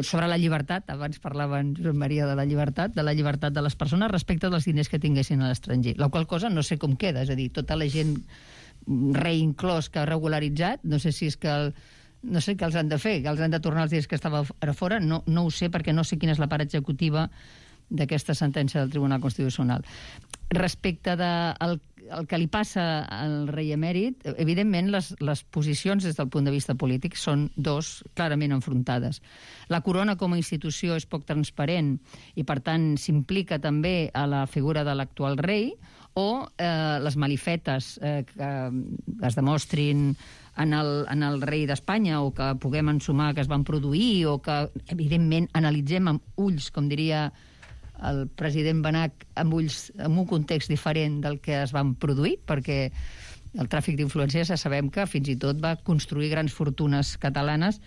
sobre la llibertat. Abans parlava en Josep Maria de la llibertat de les persones respecte dels diners que tinguessin a l'estranger, la qual cosa no sé com queda, és a dir, tota la gent, rei inclòs, que ha regularitzat, no sé si és que no sé què els han de fer, que els han de tornar els diners que estava a fora, no ho sé, perquè no sé quina és la part executiva d'aquesta sentència del Tribunal Constitucional. Respecte del que li passa al rei emèrit, evidentment les posicions des del punt de vista polític són dos clarament enfrontades. La corona com a institució és poc transparent i per tant s'implica també a la figura de l'actual rei, o les malifetes que es demostrin en el rei d'Espanya o que puguem ensumar que es van produir o que, evidentment, analitzem amb ulls, com diria el president Benach, amb un context diferent del que es van produir, perquè el tràfic d'influències ja sabem que fins i tot va construir grans fortunes catalanes,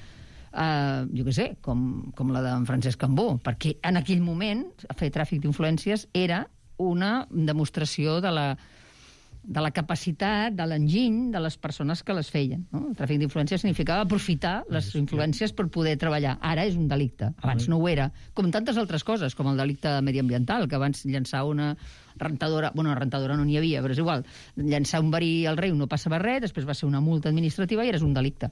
jo què sé, com la d'en Francesc Cambó, perquè en aquell moment fer tràfic d'influències era una demostració de la capacitat, de l'enginy de les persones que les feien. No? El tràfic d'influències significava aprofitar les influències per poder treballar. Ara és un delicte. Abans no ho era. Com tantes altres coses, com el delicte mediambiental, que abans llançar una rentadora... Bueno, una rentadora no n'hi havia, però és igual. Llançar un verí al rei no passava res, després va ser una multa administrativa i era un delicte.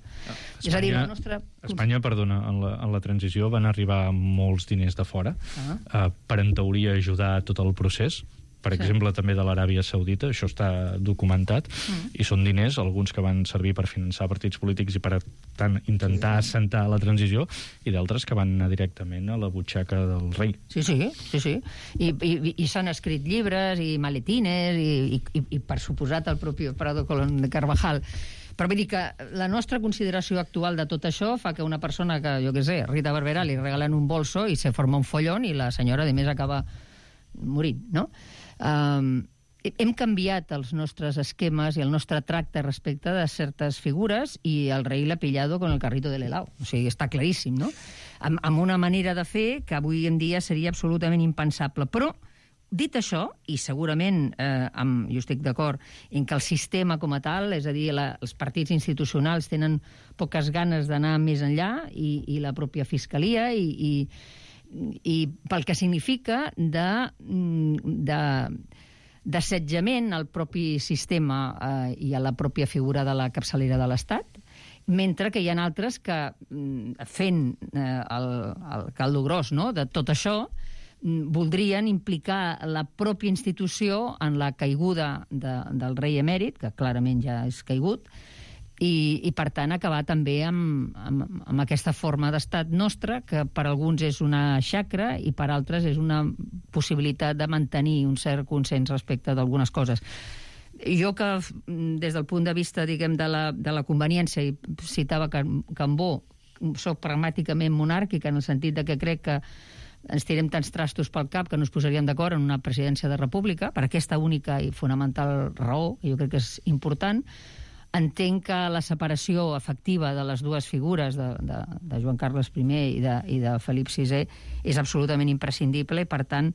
És a dir, la nostra... Espanya, perdona, en la transició van arribar molts diners de fora per, en teoria, ajudar tot el procés. Per exemple, també de l'Aràbia Saudita, això està documentat, i són diners, alguns que van servir per finançar partits polítics i per tant intentar assentar la transició, i d'altres que van anar directament a la butxaca del rei. Sí. I s'han escrit llibres i maletines i per suposat el propi Prado Colón de Carvajal. Però vull dir que la nostra consideració actual de tot això fa que una persona que, jo què sé, Rita Barberà, li regalen un bolso i se forma un follón i la senyora, a més, acaba morint, no? Hem canviat els nostres esquemes i el nostre tracte respecte de certes figures i el rei l'ha pillado con el carrito de l'helado. O sigui, està claríssim, no? Amb una manera de fer que avui en dia seria absolutament impensable. Però, dit això, i segurament jo estic d'acord en que el sistema com a tal, és a dir, els partits institucionals tenen poques ganes d'anar més enllà i la pròpia fiscalia i pel que significa d'assetjament al propi sistema i a la pròpia figura de la capçalera de l'Estat, mentre que hi ha altres que, fent el caldo gros, no?, de tot això, voldrien implicar la pròpia institució en la caiguda del rei emèrit, que clarament ja és caigut, i per tant acabar també amb aquesta forma d'estat nostra, que per alguns és una xacra i per altres és una possibilitat de mantenir un cert consens respecte d'algunes coses. Jo que des del punt de vista, diguem, de la conveniència, i citava Cambó, soc pragmàticament monàrquica en el sentit de que crec que ens tirem tants trastos pel cap que no es posaríem d'acord en una presidència de república, per aquesta única i fonamental raó, que jo crec que és important. Entenc que la separació efectiva de les dues figures, de Joan Carles I i de Felip VI, és absolutament imprescindible i, per tant,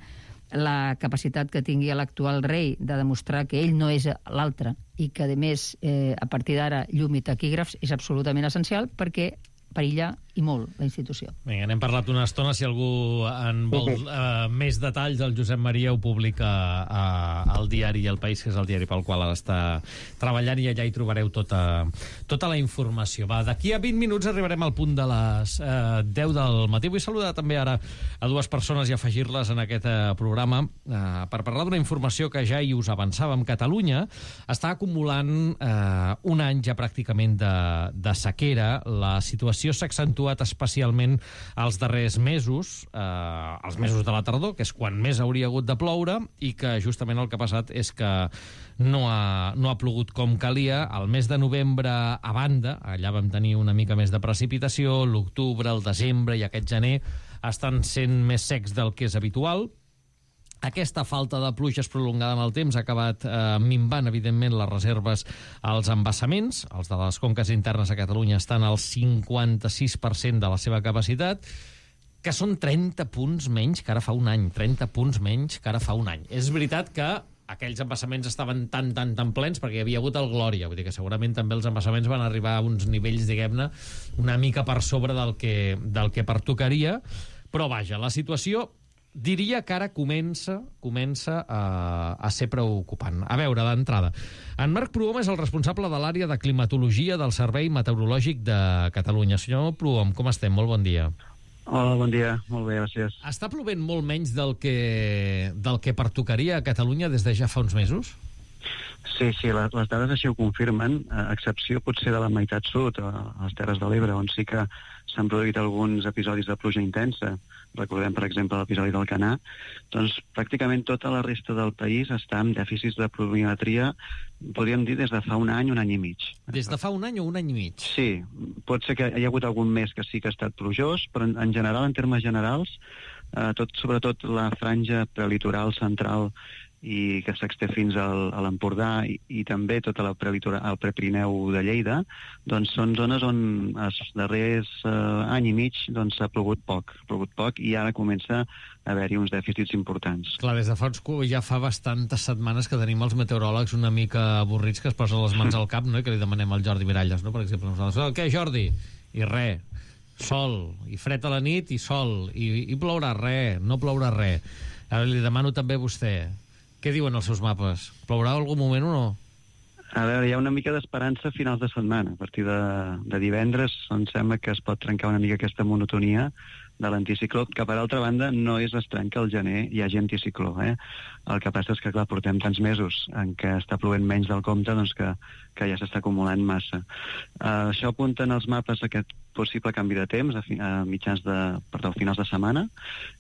la capacitat que tingui l'actual rei de demostrar que ell no és l'altre i que, a més, a partir d'ara, llum i taquígrafs és absolutament essencial perquè perilla i molt la institució. Vinga, n'hem parlat una estona. Si algú en vol més detalls, el Josep Maria ho publica al diari El País, que és el diari pel qual ara està treballant, i allà hi trobareu tota la informació. Va, d'aquí a 20 minuts arribarem al punt de les 10 del matí. Vull saludar també ara a dues persones i afegir-les en aquest programa per parlar d'una informació que ja hi us avançàvem. Catalunya està acumulant un any ja pràcticament de sequera. La situació s'ha accentuat especialment els darrers mesos, els mesos de la tardor, que és quan més hauria hagut de ploure, i que justament el que ha passat és que no ha plogut com calia. El mes de novembre, a banda, allà vam tenir una mica més de precipitació, l'octubre, el desembre i aquest gener estan sent més secs del que és habitual. Aquesta falta de pluges prolongada en el temps ha acabat minvant, evidentment, les reserves als embassaments. Els de les conques internes a Catalunya estan al 56% de la seva capacitat, que són 30 punts menys que ara fa un any. 30 punts menys que ara fa un any. És veritat que aquells embassaments estaven tan plens perquè hi havia hagut el Glòria. Vull dir que segurament també els embassaments van arribar a uns nivells, diguem-ne, una mica per sobre del que pertocaria. Però vaja, la situació diria que ara comença a ser preocupant. A veure, d'entrada, en Marc Prohom és el responsable de l'àrea de climatologia del Servei Meteorològic de Catalunya. Senyor Prohom, com estem? Molt bon dia. Hola, bon dia. Molt bé, gràcies. Està plovent molt menys del que pertocaria a Catalunya des de ja fa uns mesos? Sí, les dades així ho confirmen, a excepció potser de la meitat sud, a les Terres de l'Ebre, on sí que s'han produït alguns episodis de pluja intensa. Recordem, per exemple, l'episodi del Canà. Doncs pràcticament tota la resta del país està amb dèficits de pluviometria, podríem dir, des de fa un any i mig. Des de fa un any o un any i mig? Sí, pot ser que hi ha hagut algun mes que sí que ha estat plujós, però en general, en termes generals, sobretot la franja prelitoral central i que s'exté fins a l'Empordà i també tot el Prepirineu de Lleida, doncs són zones on els darrers any i mig s'ha plogut poc i ara comença a haver-hi uns dèficits importants. Clar, des de ja fa bastantes setmanes que tenim els meteoròlegs una mica avorrits, que es posen les mans al cap, no? I que li demanem al Jordi Miralles, no? Per exemple, què, Jordi? I res, sol, i fred a la nit i sol, i plourà res, no plourà res. Ara li demano també a vostè, què diuen els seus mapes? Plourà algun moment o no? A veure, hi ha una mica d'esperança a finals de setmana. A partir de divendres em sembla que es pot trencar una mica aquesta monotonia de l'anticicló, que per altra banda no és estrany que al gener hi hagi anticicló. El que passa és que, clar, portem tants mesos en què està plovent menys del compte, doncs que ja s'està acumulant massa. Això apunten els mapes a aquest possible canvi de temps a finals de setmana,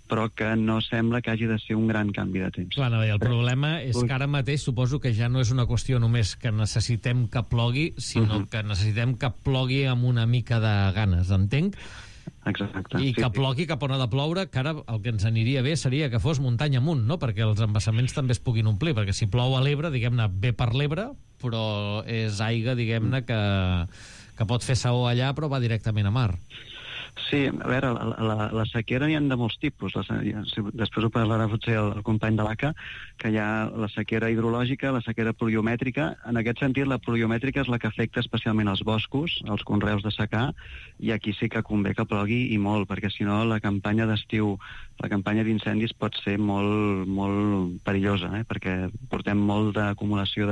però que no sembla que hagi de ser un gran canvi de temps. Clar, el problema és que ara mateix suposo que ja no és una qüestió només que necessitem que plogui, sinó que necessitem que plogui amb una mica de ganes, entenc? Exacte. I que plogui cap on ha de ploure, que ara el que ens aniria bé seria que fos muntanya amunt, no? Perquè els embassaments també es puguin omplir, perquè si plou a l'Ebre, diguem-ne, ve per l'Ebre, però és aigua, diguem-ne, que pot fer saó allà, però va directament a mar. Sí, a veure, la sequera n'hi ha de molts tipus. Després ho parlarà potser el company de l'ACA, que hi ha la sequera hidrològica, la sequera pluviomètrica. En aquest sentit, la pluviomètrica és la que afecta especialment els boscos, els conreus de secà, i aquí sí que convé que plogui i molt, perquè si no la campanya d'estiu, la campanya d'incendis pot ser molt, molt perillosa, perquè portem molt d'acumulació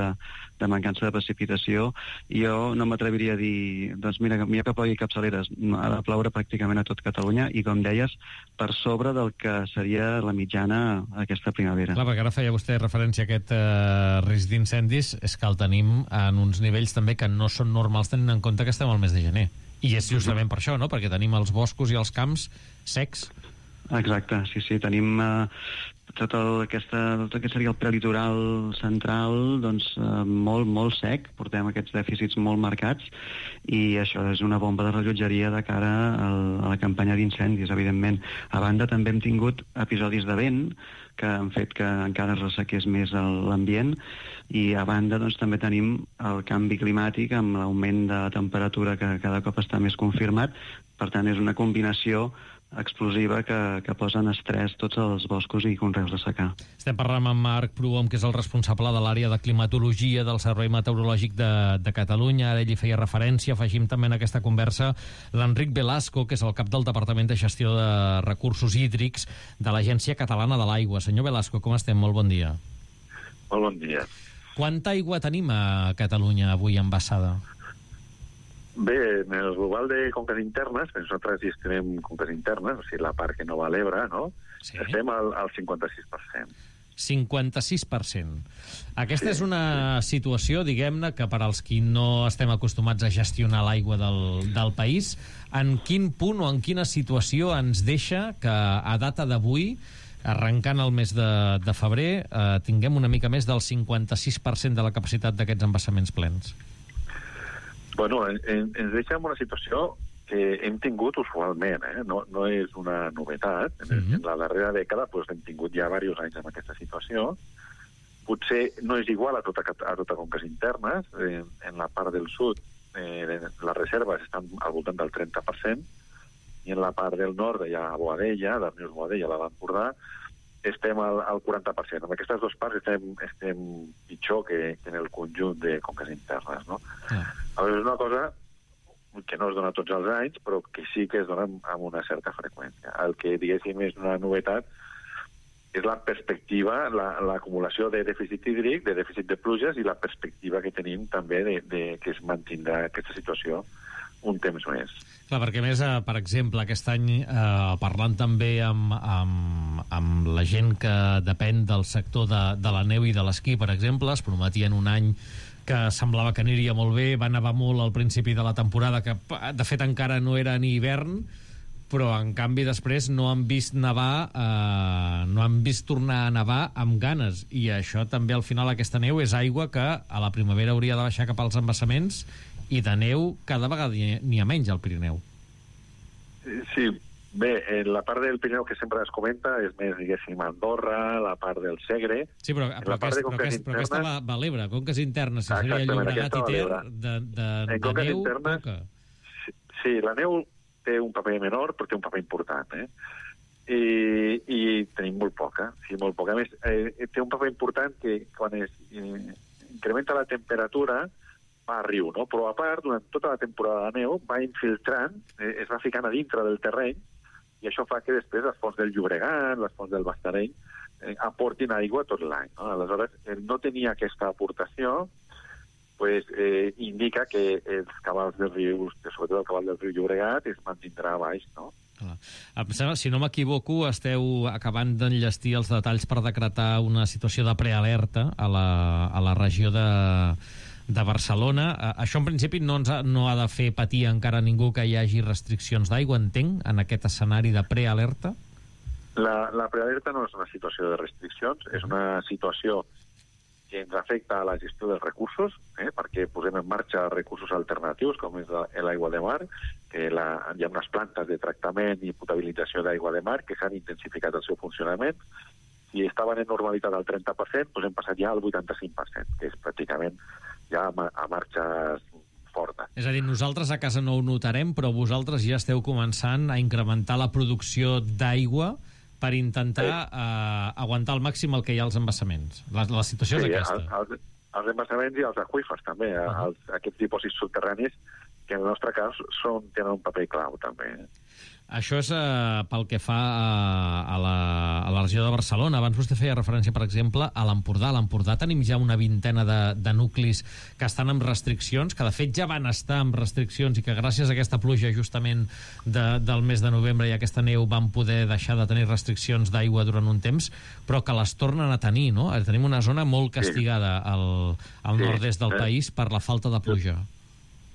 de mancança de precipitació, i jo no m'atreviria a dir, doncs mira, millor que plogui capçaleres, ha de ploure pràcticament a tot Catalunya, i com deies, per sobre del que seria la mitjana aquesta primavera. Clar, perquè ara feia vostè referència a aquest risc d'incendis, és que el tenim en uns nivells també que no són normals tenint en compte que estem al mes de gener. I és justament per això, no? Perquè tenim els boscos i els camps secs. Exacte, sí, tenim tot aquest seria el prelitoral central, doncs molt sec, portem aquests dèficits molt marcats, i això és una bomba de rellotgeria de cara a la campanya d'incendis, evidentment. A banda, també hem tingut episodis de vent que han fet que encara es ressequés més l'ambient, i a banda doncs, també tenim el canvi climàtic amb l'augment de la temperatura que cada cop està més confirmat. Per tant, és una combinació explosiva que posa en estrès tots els boscos i conreus de secà. Estem parlant amb Marc Prohom, que és el responsable de l'àrea de climatologia del Servei Meteorològic de Catalunya. Ara ell hi feia referència. Afegim també en aquesta conversa l'Enric Velasco, que és el cap del Departament de Gestió de Recursos Hídrics de l'Agència Catalana de l'Aigua. Senyor Velasco, com estem? Molt bon dia. Molt bon dia. Quanta aigua tenim a Catalunya avui embassada? Bé, en el global de conques internes, nosaltres gestionem conques internes, o sigui, la part que no va a l'Ebre, no? Sí. Estem al 56%. 56%. Aquesta és una situació, diguem-ne, que per als qui no estem acostumats a gestionar l'aigua del país, en quin punt o en quina situació ens deixa que a data d'avui, arrencant el mes de febrer, tinguem una mica més del 56% de la capacitat d'aquests embassaments plens? Bueno, ens deixa en una situació que hem tingut usualment, no és una novetat. En la darrera dècada hem tingut ja diversos anys en aquesta situació. Potser no és igual a tota conques internes. En la part del sud les reserves estan al voltant del 30%, i en la part del nord, ja a Boadella, d'Arnius Boadella, a l'Empordà, estem al 40%. En aquestes dues parts estem pitjor que en el conjunt de conques internes, no? És una cosa que no es dona tots els anys, però que sí que es dona amb una certa freqüència. El que, diguéssim, és una novetat és la perspectiva, l'acumulació de dèficit hídric, de dèficit de pluges, i la perspectiva que tenim també que es mantindrà aquesta situació un temps més. Clar, perquè més, per exemple, aquest any, parlant també amb la gent que depèn del sector de la neu i de l'esquí, per exemple, es prometien un any que semblava que aniria molt bé, va nevar molt al principi de la temporada, que de fet encara no era ni hivern, però en canvi després no han vist nevar, no han vist tornar a nevar amb ganes, i això també al final, aquesta neu és aigua que a la primavera hauria de baixar cap als embassaments, i de neu cada vegada n'hi ha menys al Pirineu. Sí, bé, la part del Pirineu que sempre es comenta és més, diguéssim, Andorra, la part del Segre... Sí, però aquesta va a l'Ebre, conques internes, si seria Llobregat i Ter, de neu, poca. Sí, la neu té un paper menor, però té un paper important, i tenim molt poca, sí, molt poca. A més, té un paper important que quan es incrementa la temperatura va a riu, no? Però a part, durant tota la temporada de neu, va infiltrant, es va ficant a dintre del terreny, i això fa que després les fonts del Llobregat, les fonts del Bastareny, aportin aigua tot l'any, no? Aleshores, el no tenir aquesta aportació indica que els cabals dels rius, sobretot el cabal del riu Llobregat, es mantindrà baix, no? Em sembla, si no m'equivoco, esteu acabant d'enllestir els detalls per decretar una situació de prealerta a la regió de Barcelona. Això, en principi, no ha de fer patir encara ningú que hi hagi restriccions d'aigua, entenc, en aquest escenari de prealerta? La prealerta no és una situació de restriccions, és una situació que ens afecta a la gestió dels recursos, perquè posem en marxa recursos alternatius, com és l'aigua de mar, que hi ha unes plantes de tractament i potabilització d'aigua de mar que s'han intensificat el seu funcionament. Si estaven en normalitat al 30%, hem passat ja al 85%, que és pràcticament ja a marxes fortes. És a dir, nosaltres a casa no ho notarem, però vosaltres ja esteu començant a incrementar la producció d'aigua per intentar aguantar al màxim el que hi ha als embassaments. La situació és aquesta. Els embassaments i els aqüífers, també. Aquests dipòsits subterranis, que en el nostre cas tenen un paper clau, també. Això és pel que fa a la regió de Barcelona. Abans vostè feia referència, per exemple, a l'Empordà. A l'Empordà tenim ja una vintena de nuclis que estan amb restriccions, que de fet ja van estar amb restriccions i que gràcies a aquesta pluja justament del mes de novembre i aquesta neu van poder deixar de tenir restriccions d'aigua durant un temps, però que les tornen a tenir, no? Tenim una zona molt castigada al nord-est del país per la falta de pluja.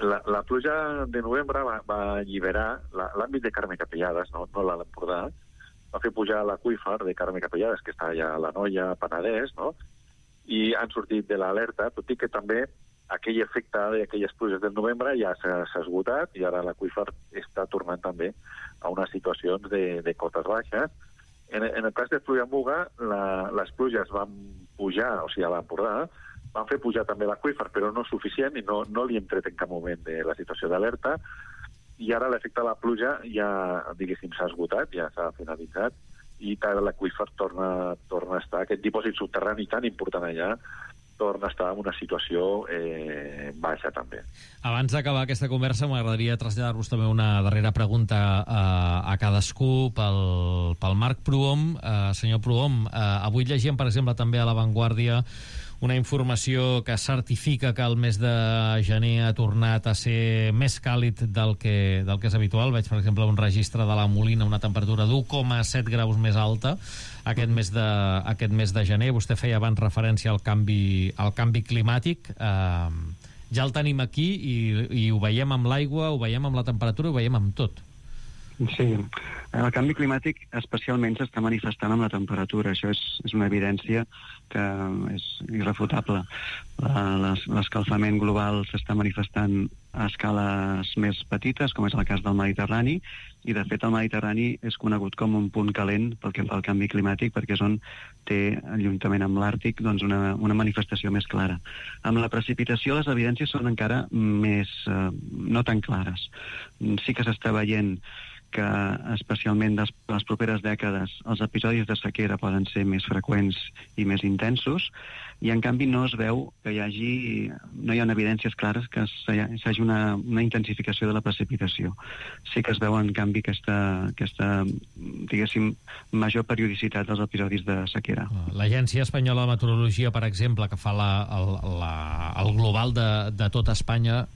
La pluja de novembre va alliberar l'àmbit de Carme Capellades, no l'Empordà, va fer pujar l'aqüífer de Carme Capellades, que està allà a l'Anoia, Penedès, no? I han sortit de l'alerta, tot i que també aquell efecte d'aquelles pluges del novembre ja s'ha esgotat i ara l'aqüífer està tornant també a unes situacions de cotes baixes. En el cas de Pluja-Muga, les pluges van pujar, o sigui, a l'Empordà, van fer pujar també l'aqüífer, però no suficient, i no li hem tret en cap moment de la situació d'alerta, i ara l'efecte de la pluja ja, diguéssim, s'ha esgotat, ja s'ha finalitzat, i l'aqüífer torna a estar, aquest dipòsit subterrani tan important allà, torna a estar en una situació baixa, també. Abans d'acabar aquesta conversa, m'agradaria traslladar-vos també una darrera pregunta a cadascú pel Marc Prohom. Senyor Prohom, avui llegíem, per exemple, també a La Vanguardia una informació que certifica que el mes de gener ha tornat a ser més càlid del que és habitual. Veig, per exemple, un registre de la Molina, una temperatura d'1,7 graus més alta aquest mes de gener. Vostè feia abans referència al canvi climàtic. Ja el tenim aquí i ho veiem amb l'aigua, ho veiem amb la temperatura, ho veiem amb tot. Sí, el canvi climàtic especialment s'està manifestant amb la temperatura. Això és una evidència que és irrefutable. L'escalfament global s'està manifestant a escales més petites, com és el cas del Mediterrani, i de fet el Mediterrani és conegut com un punt calent pel que fa al canvi climàtic, perquè és on té, juntament amb l'Àrtic, doncs una manifestació més clara. Amb la precipitació les evidències són encara més no tan clares. Sí que s'està veient que especialment de les properes dècades els episodis de sequera poden ser més freqüents i més intensos, i en canvi no es veu que no hi ha evidències clares que hi hagi una intensificació de la precipitació. Sí que es veu en canvi aquesta diguéssim, major periodicitat dels episodis de sequera. L'Agència Espanyola de Meteorologia, per exemple, que fa el global de tot Espanya,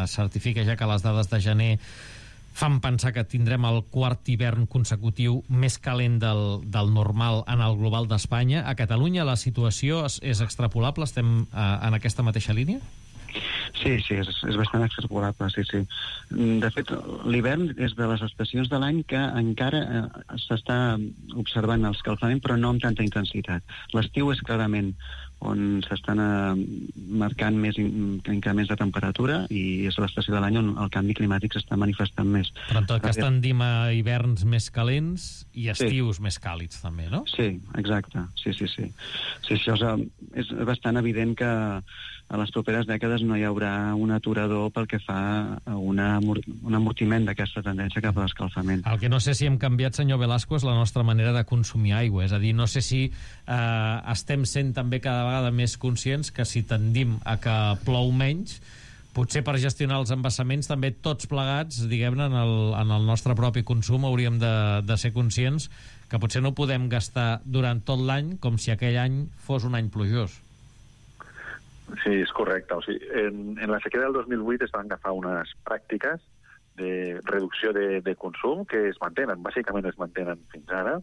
certifica ja que les dades de gener fan pensar que tindrem el quart hivern consecutiu més calent del normal en el global d'Espanya. A Catalunya la situació és extrapolable? Estem en aquesta mateixa línia? Sí, és bastant extrapolable, sí. De fet, l'hivern és de les estacions de l'any que encara s'està observant l'escalfament, però no amb tanta intensitat. L'estiu és clarament on s'estan marcant més increments de temperatura i és l'estació de l'any on el canvi climàtic s'està manifestant més. Però en tot cas tendim a hiverns més calents i estius més càlids també, no? Sí, exacte. Sí. Això és bastant evident que a les properes dècades no hi haurà un aturador pel que fa a un amortiment d'aquesta tendència cap a l'escalfament. El que no sé si hem canviat, senyor Velasco, és la nostra manera de consumir aigua. És a dir, no sé si estem sent també cada vegada més conscients que si tendim a que plou menys, potser per gestionar els embassaments també tots plegats, diguem-ne, en el nostre propi consum hauríem de ser conscients que potser no podem gastar durant tot l'any com si aquell any fos un any plujós. Sí, és correcte. O sigui, en la sequera del 2008 es van agafar unes pràctiques de reducció de consum que es mantenen, bàsicament es mantenen fins ara,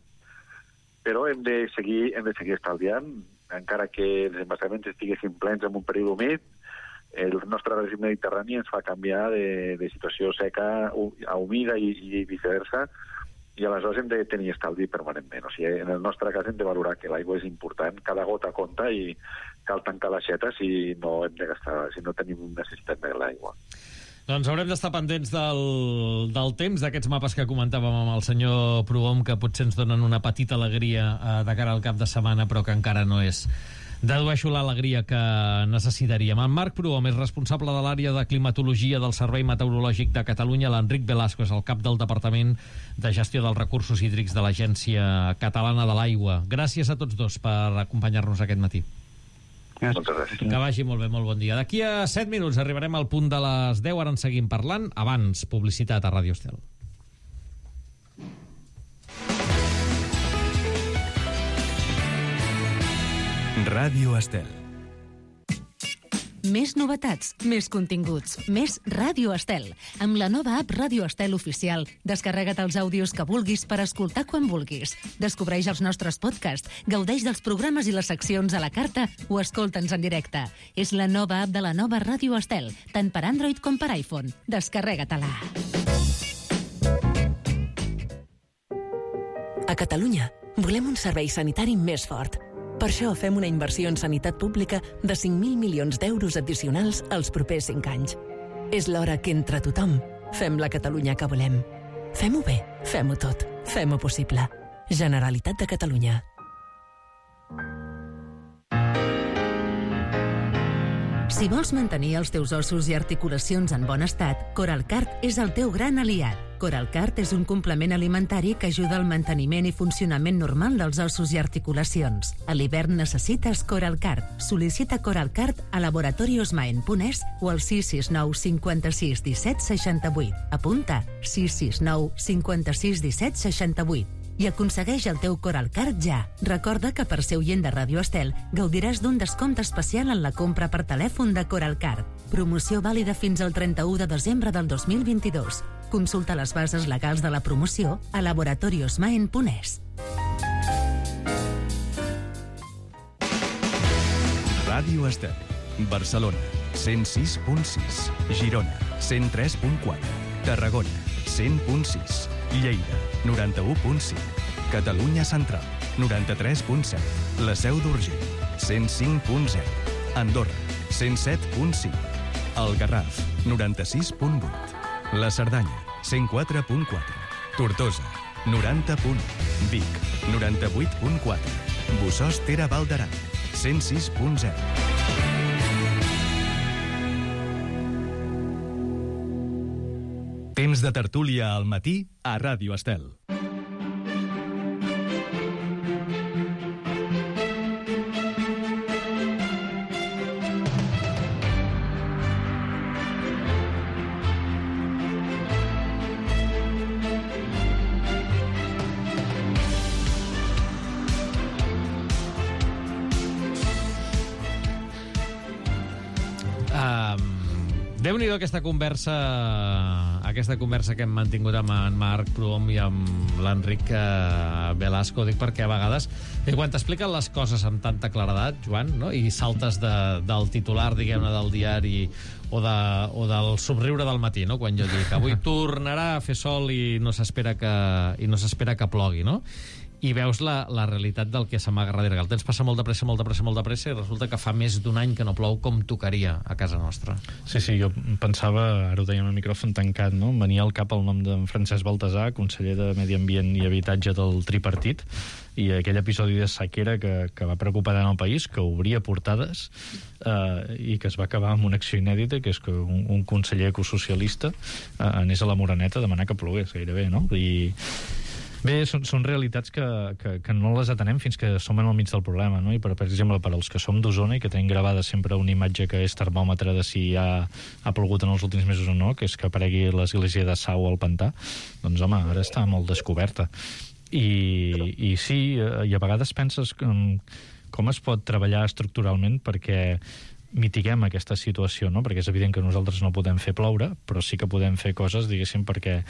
però hem de seguir estalviant, encara que els embassaments estiguessin plens en un període humit. El nostre règim mediterrani ens fa canviar de situació seca a humida i viceversa, i aleshores hem de tenir estalvi permanentment. O sigui, en el nostre cas hem de valorar que l'aigua és important, cada gota compta i cal tancar l'aixeta si no hem de gastar, si no tenim necessitat de l'aigua. Doncs haurem d'estar pendents del temps, d'aquests mapes que comentàvem amb el senyor Prohom, que potser ens donen una petita alegria de cara al cap de setmana, però que encara no és, dedueixo, l'alegria que necessitaríem. En Marc Prohom és responsable de l'àrea de climatologia del Servei Meteorològic de Catalunya. L'Enric Velasco és el cap del Departament de Gestió dels Recursos Hídrics de l'Agència Catalana de l'Aigua. Gràcies a tots dos per acompanyar-nos aquest matí. Moltes gràcies. Que vagi molt bé, molt bon dia. D'aquí a 7 minuts arribarem al punt de les 10, ara en seguim parlant. Abans, publicitat a Ràdio Estel. Ràdio Estel. Més novetats, més continguts, més Ràdio Estel. Amb la nova app Ràdio Estel Oficial, descarrega't els àudios que vulguis per escoltar quan vulguis. Descobreix els nostres podcasts, gaudeix dels programes i les seccions a la carta o escolta'ns en directe. És la nova app de la nova Ràdio Estel, tant per Android com per iPhone. Descarrega-te-la. A Catalunya volem un servei sanitari més fort. Per això fem una inversió en sanitat pública de 5.000 milions d'euros addicionals els propers 5 anys. És l'hora que entre tothom fem la Catalunya que volem. Fem-ho bé, fem-ho tot, fem-ho possible. Generalitat de Catalunya. Si vols mantenir els teus ossos i articulacions en bon estat, Coralcart és el teu gran aliat. Coralcart és un complement alimentari que ajuda al manteniment i funcionament normal dels ossos i articulacions. A l'hivern necessites Coralcart. Sol·licita Coralcart a laboratoriosmaen.es o al 669 56 17 68. Apunta 669 56 17 68. I aconsegueix el teu Coralcart ja. Recorda que per ser oient de Ràdio Estel gaudiràs d'un descompte especial en la compra per telèfon de Coralcart. Promoció vàlida fins al 31 de desembre del 2022. Consulta les bases legals de la promoció a laboratoriosmaen.es. Ràdio Estel. Barcelona, 106.6. Girona, 103.4. Tarragona, 100.6. Lleida, 91.5. Catalunya Central, 93.7. La Seu d'Urgell, 105.0. Andorra, 107.5. El Garraf, 96.8. La Cerdanya, 104.4. Tortosa, 90.1. Vic, 98.4. Bossòst Tere Val d'Aran, 106.0. Temps de tertúlia al matí a Ràdio Estel. Déu-n'hi-do aquesta conversa que hem mantingut amb en Marc Prohom i amb l'Enric Velasco. Dic perquè a vegades, quan t'expliquen les coses amb tanta claredat, Joan, no? I saltes del titular, diguem-ne, del diari o del somriure del matí, no? Quan jo dic avui tornarà a fer sol i no s'espera que plogui, no? I veus la realitat del que s'amaga darrere, que el temps passa molt de pressa i resulta que fa més d'un any que no plou com tocaria a casa nostra. Sí, jo pensava, ara ho dèiem al micròfon tancat, no? Em venia al cap el nom d'en Francesc Baltasar, conseller de Medi Ambient i Habitatge del tripartit, i aquell episodi de sequera que va preocupar tant el país, que obria portades i que es va acabar amb una acció inèdita, que és que un conseller ecosocialista anés a la Moreneta a demanar que plogués gairebé, no? I bé, són realitats que no les atenem fins que som en el mig del problema, no? I per exemple, per als que som d'Osona i que tenim gravada sempre una imatge que és termòmetre de si ha plogut en els últims mesos o no, que és que aparegui l'església de Sau al pantà, doncs home, ara està molt descoberta. I sí, i a vegades penses com es pot treballar estructuralment perquè mitiguem aquesta situació, no? Perquè és evident que nosaltres no podem fer ploure, però sí que podem fer coses, diguéssim, perquè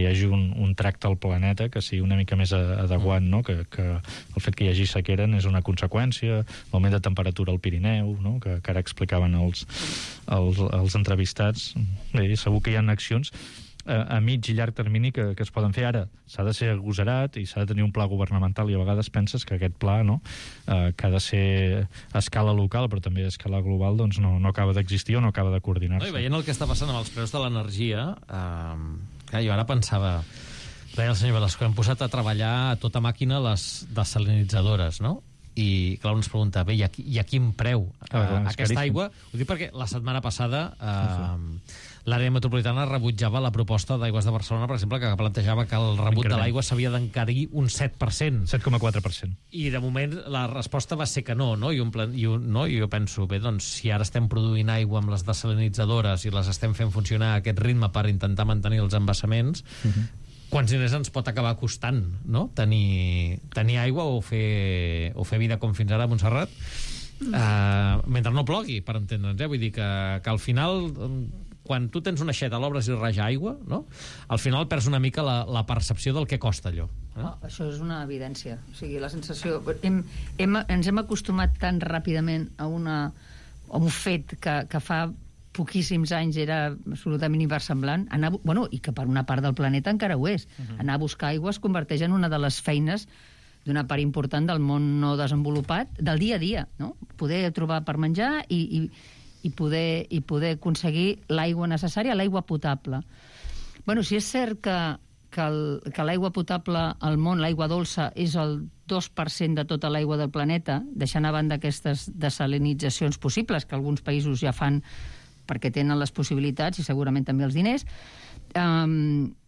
hi hagi un tracte al planeta que sigui una mica més adequat, no? Que el fet que hi hagi sequera és una conseqüència, l'augment de temperatura al Pirineu, no? Que ara explicaven els entrevistats. Bé, segur que hi ha accions a mig i llarg termini que es poden fer. Ara s'ha de ser agosarat i s'ha de tenir un pla governamental, i a vegades penses que aquest pla, no, que ha de ser a escala local però també a escala global, doncs no acaba d'existir o no acaba de coordinar-se. No, i veient el que està passant amb els preus de l'energia, jo ara pensava, deia el senyor Velasco, hem posat a treballar a tota màquina les desalinitzadores, no? I clar, un es pregunta, bé, i a quin preu aquesta aigua? Ho dic perquè la setmana passada l'àrea metropolitana rebutjava la proposta d'Aigües de Barcelona, per exemple, que plantejava que el rebut de l'aigua s'havia d'encarir un 7%. 7,4%. I de moment la resposta va ser que no? I jo penso, bé, doncs si ara estem produint aigua amb les desalinitzadores i les estem fent funcionar a aquest ritme per intentar mantenir els embassaments, quants diners ens pot acabar costant, no? Tenir aigua o fer vida com fins ara a Montserrat mentre no plogui, per entendre'ns, vull dir que al final, quan tu tens una aixeta, l'obres i raja aigua, no? Al final perds una mica la percepció del que costa allò. Això és una evidència. O sigui, la sensació... Ens hem acostumat tan ràpidament a un fet que fa poquíssims anys era absolutament inversemblant, i que per una part del planeta encara ho és. Anar a buscar aigua es converteix en una de les feines d'una part important del món no desenvolupat, del dia a dia, no? Poder trobar per menjar i poder aconseguir l'aigua necessària, l'aigua potable. Bueno, sí és cert que que l'aigua potable al món, l'aigua dolça, és el 2% de tota l'aigua del planeta, deixant a banda aquestes desalinitzacions possibles, que alguns països ja fan perquè tenen les possibilitats i segurament també els diners,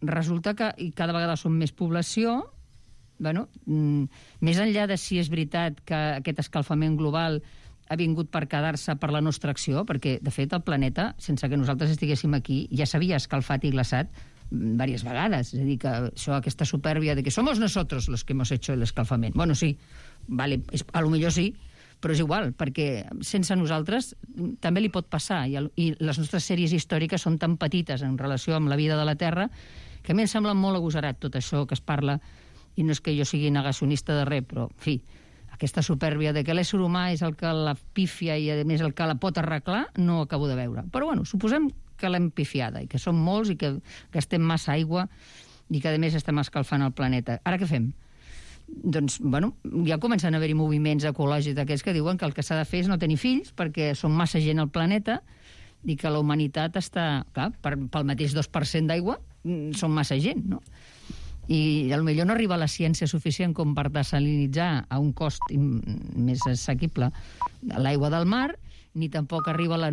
resulta que cada vegada som més població. Més enllà de si és veritat que aquest escalfament global ha vingut per quedar-se per la nostra acció, perquè, de fet, el planeta, sense que nosaltres estiguéssim aquí, ja s'havia escalfat i glaçat diverses vegades. És a dir, que aquesta supèrbia de que somos nosotros los que hemos hecho el escalfament. Bueno, sí, vale, a lo millor sí, però és igual, perquè sense nosaltres també li pot passar, i les nostres sèries històriques són tan petites en relació amb la vida de la Terra que a mi em sembla molt agosarat tot això que es parla, i no és que jo sigui negacionista de res, però, en fi, aquesta supèrbia de que l'ésser humà és el que la pífia i, a més, el que la pot arreglar, no ho acabo de veure. Però, bueno, suposem que l'hem pifiada i que som molts i que gastem massa aigua i que, a més, estem escalfant el planeta. Ara què fem? Doncs, bueno, ja comencen a haver-hi moviments ecològics d'aquests que diuen que el que s'ha de fer és no tenir fills perquè som massa gent al planeta i que la humanitat està... Clar, pel mateix 2% d'aigua som massa gent, no? I potser no arriba la ciència suficient com per desalinitzar a un cost més assequible l'aigua del mar, ni tampoc arriba les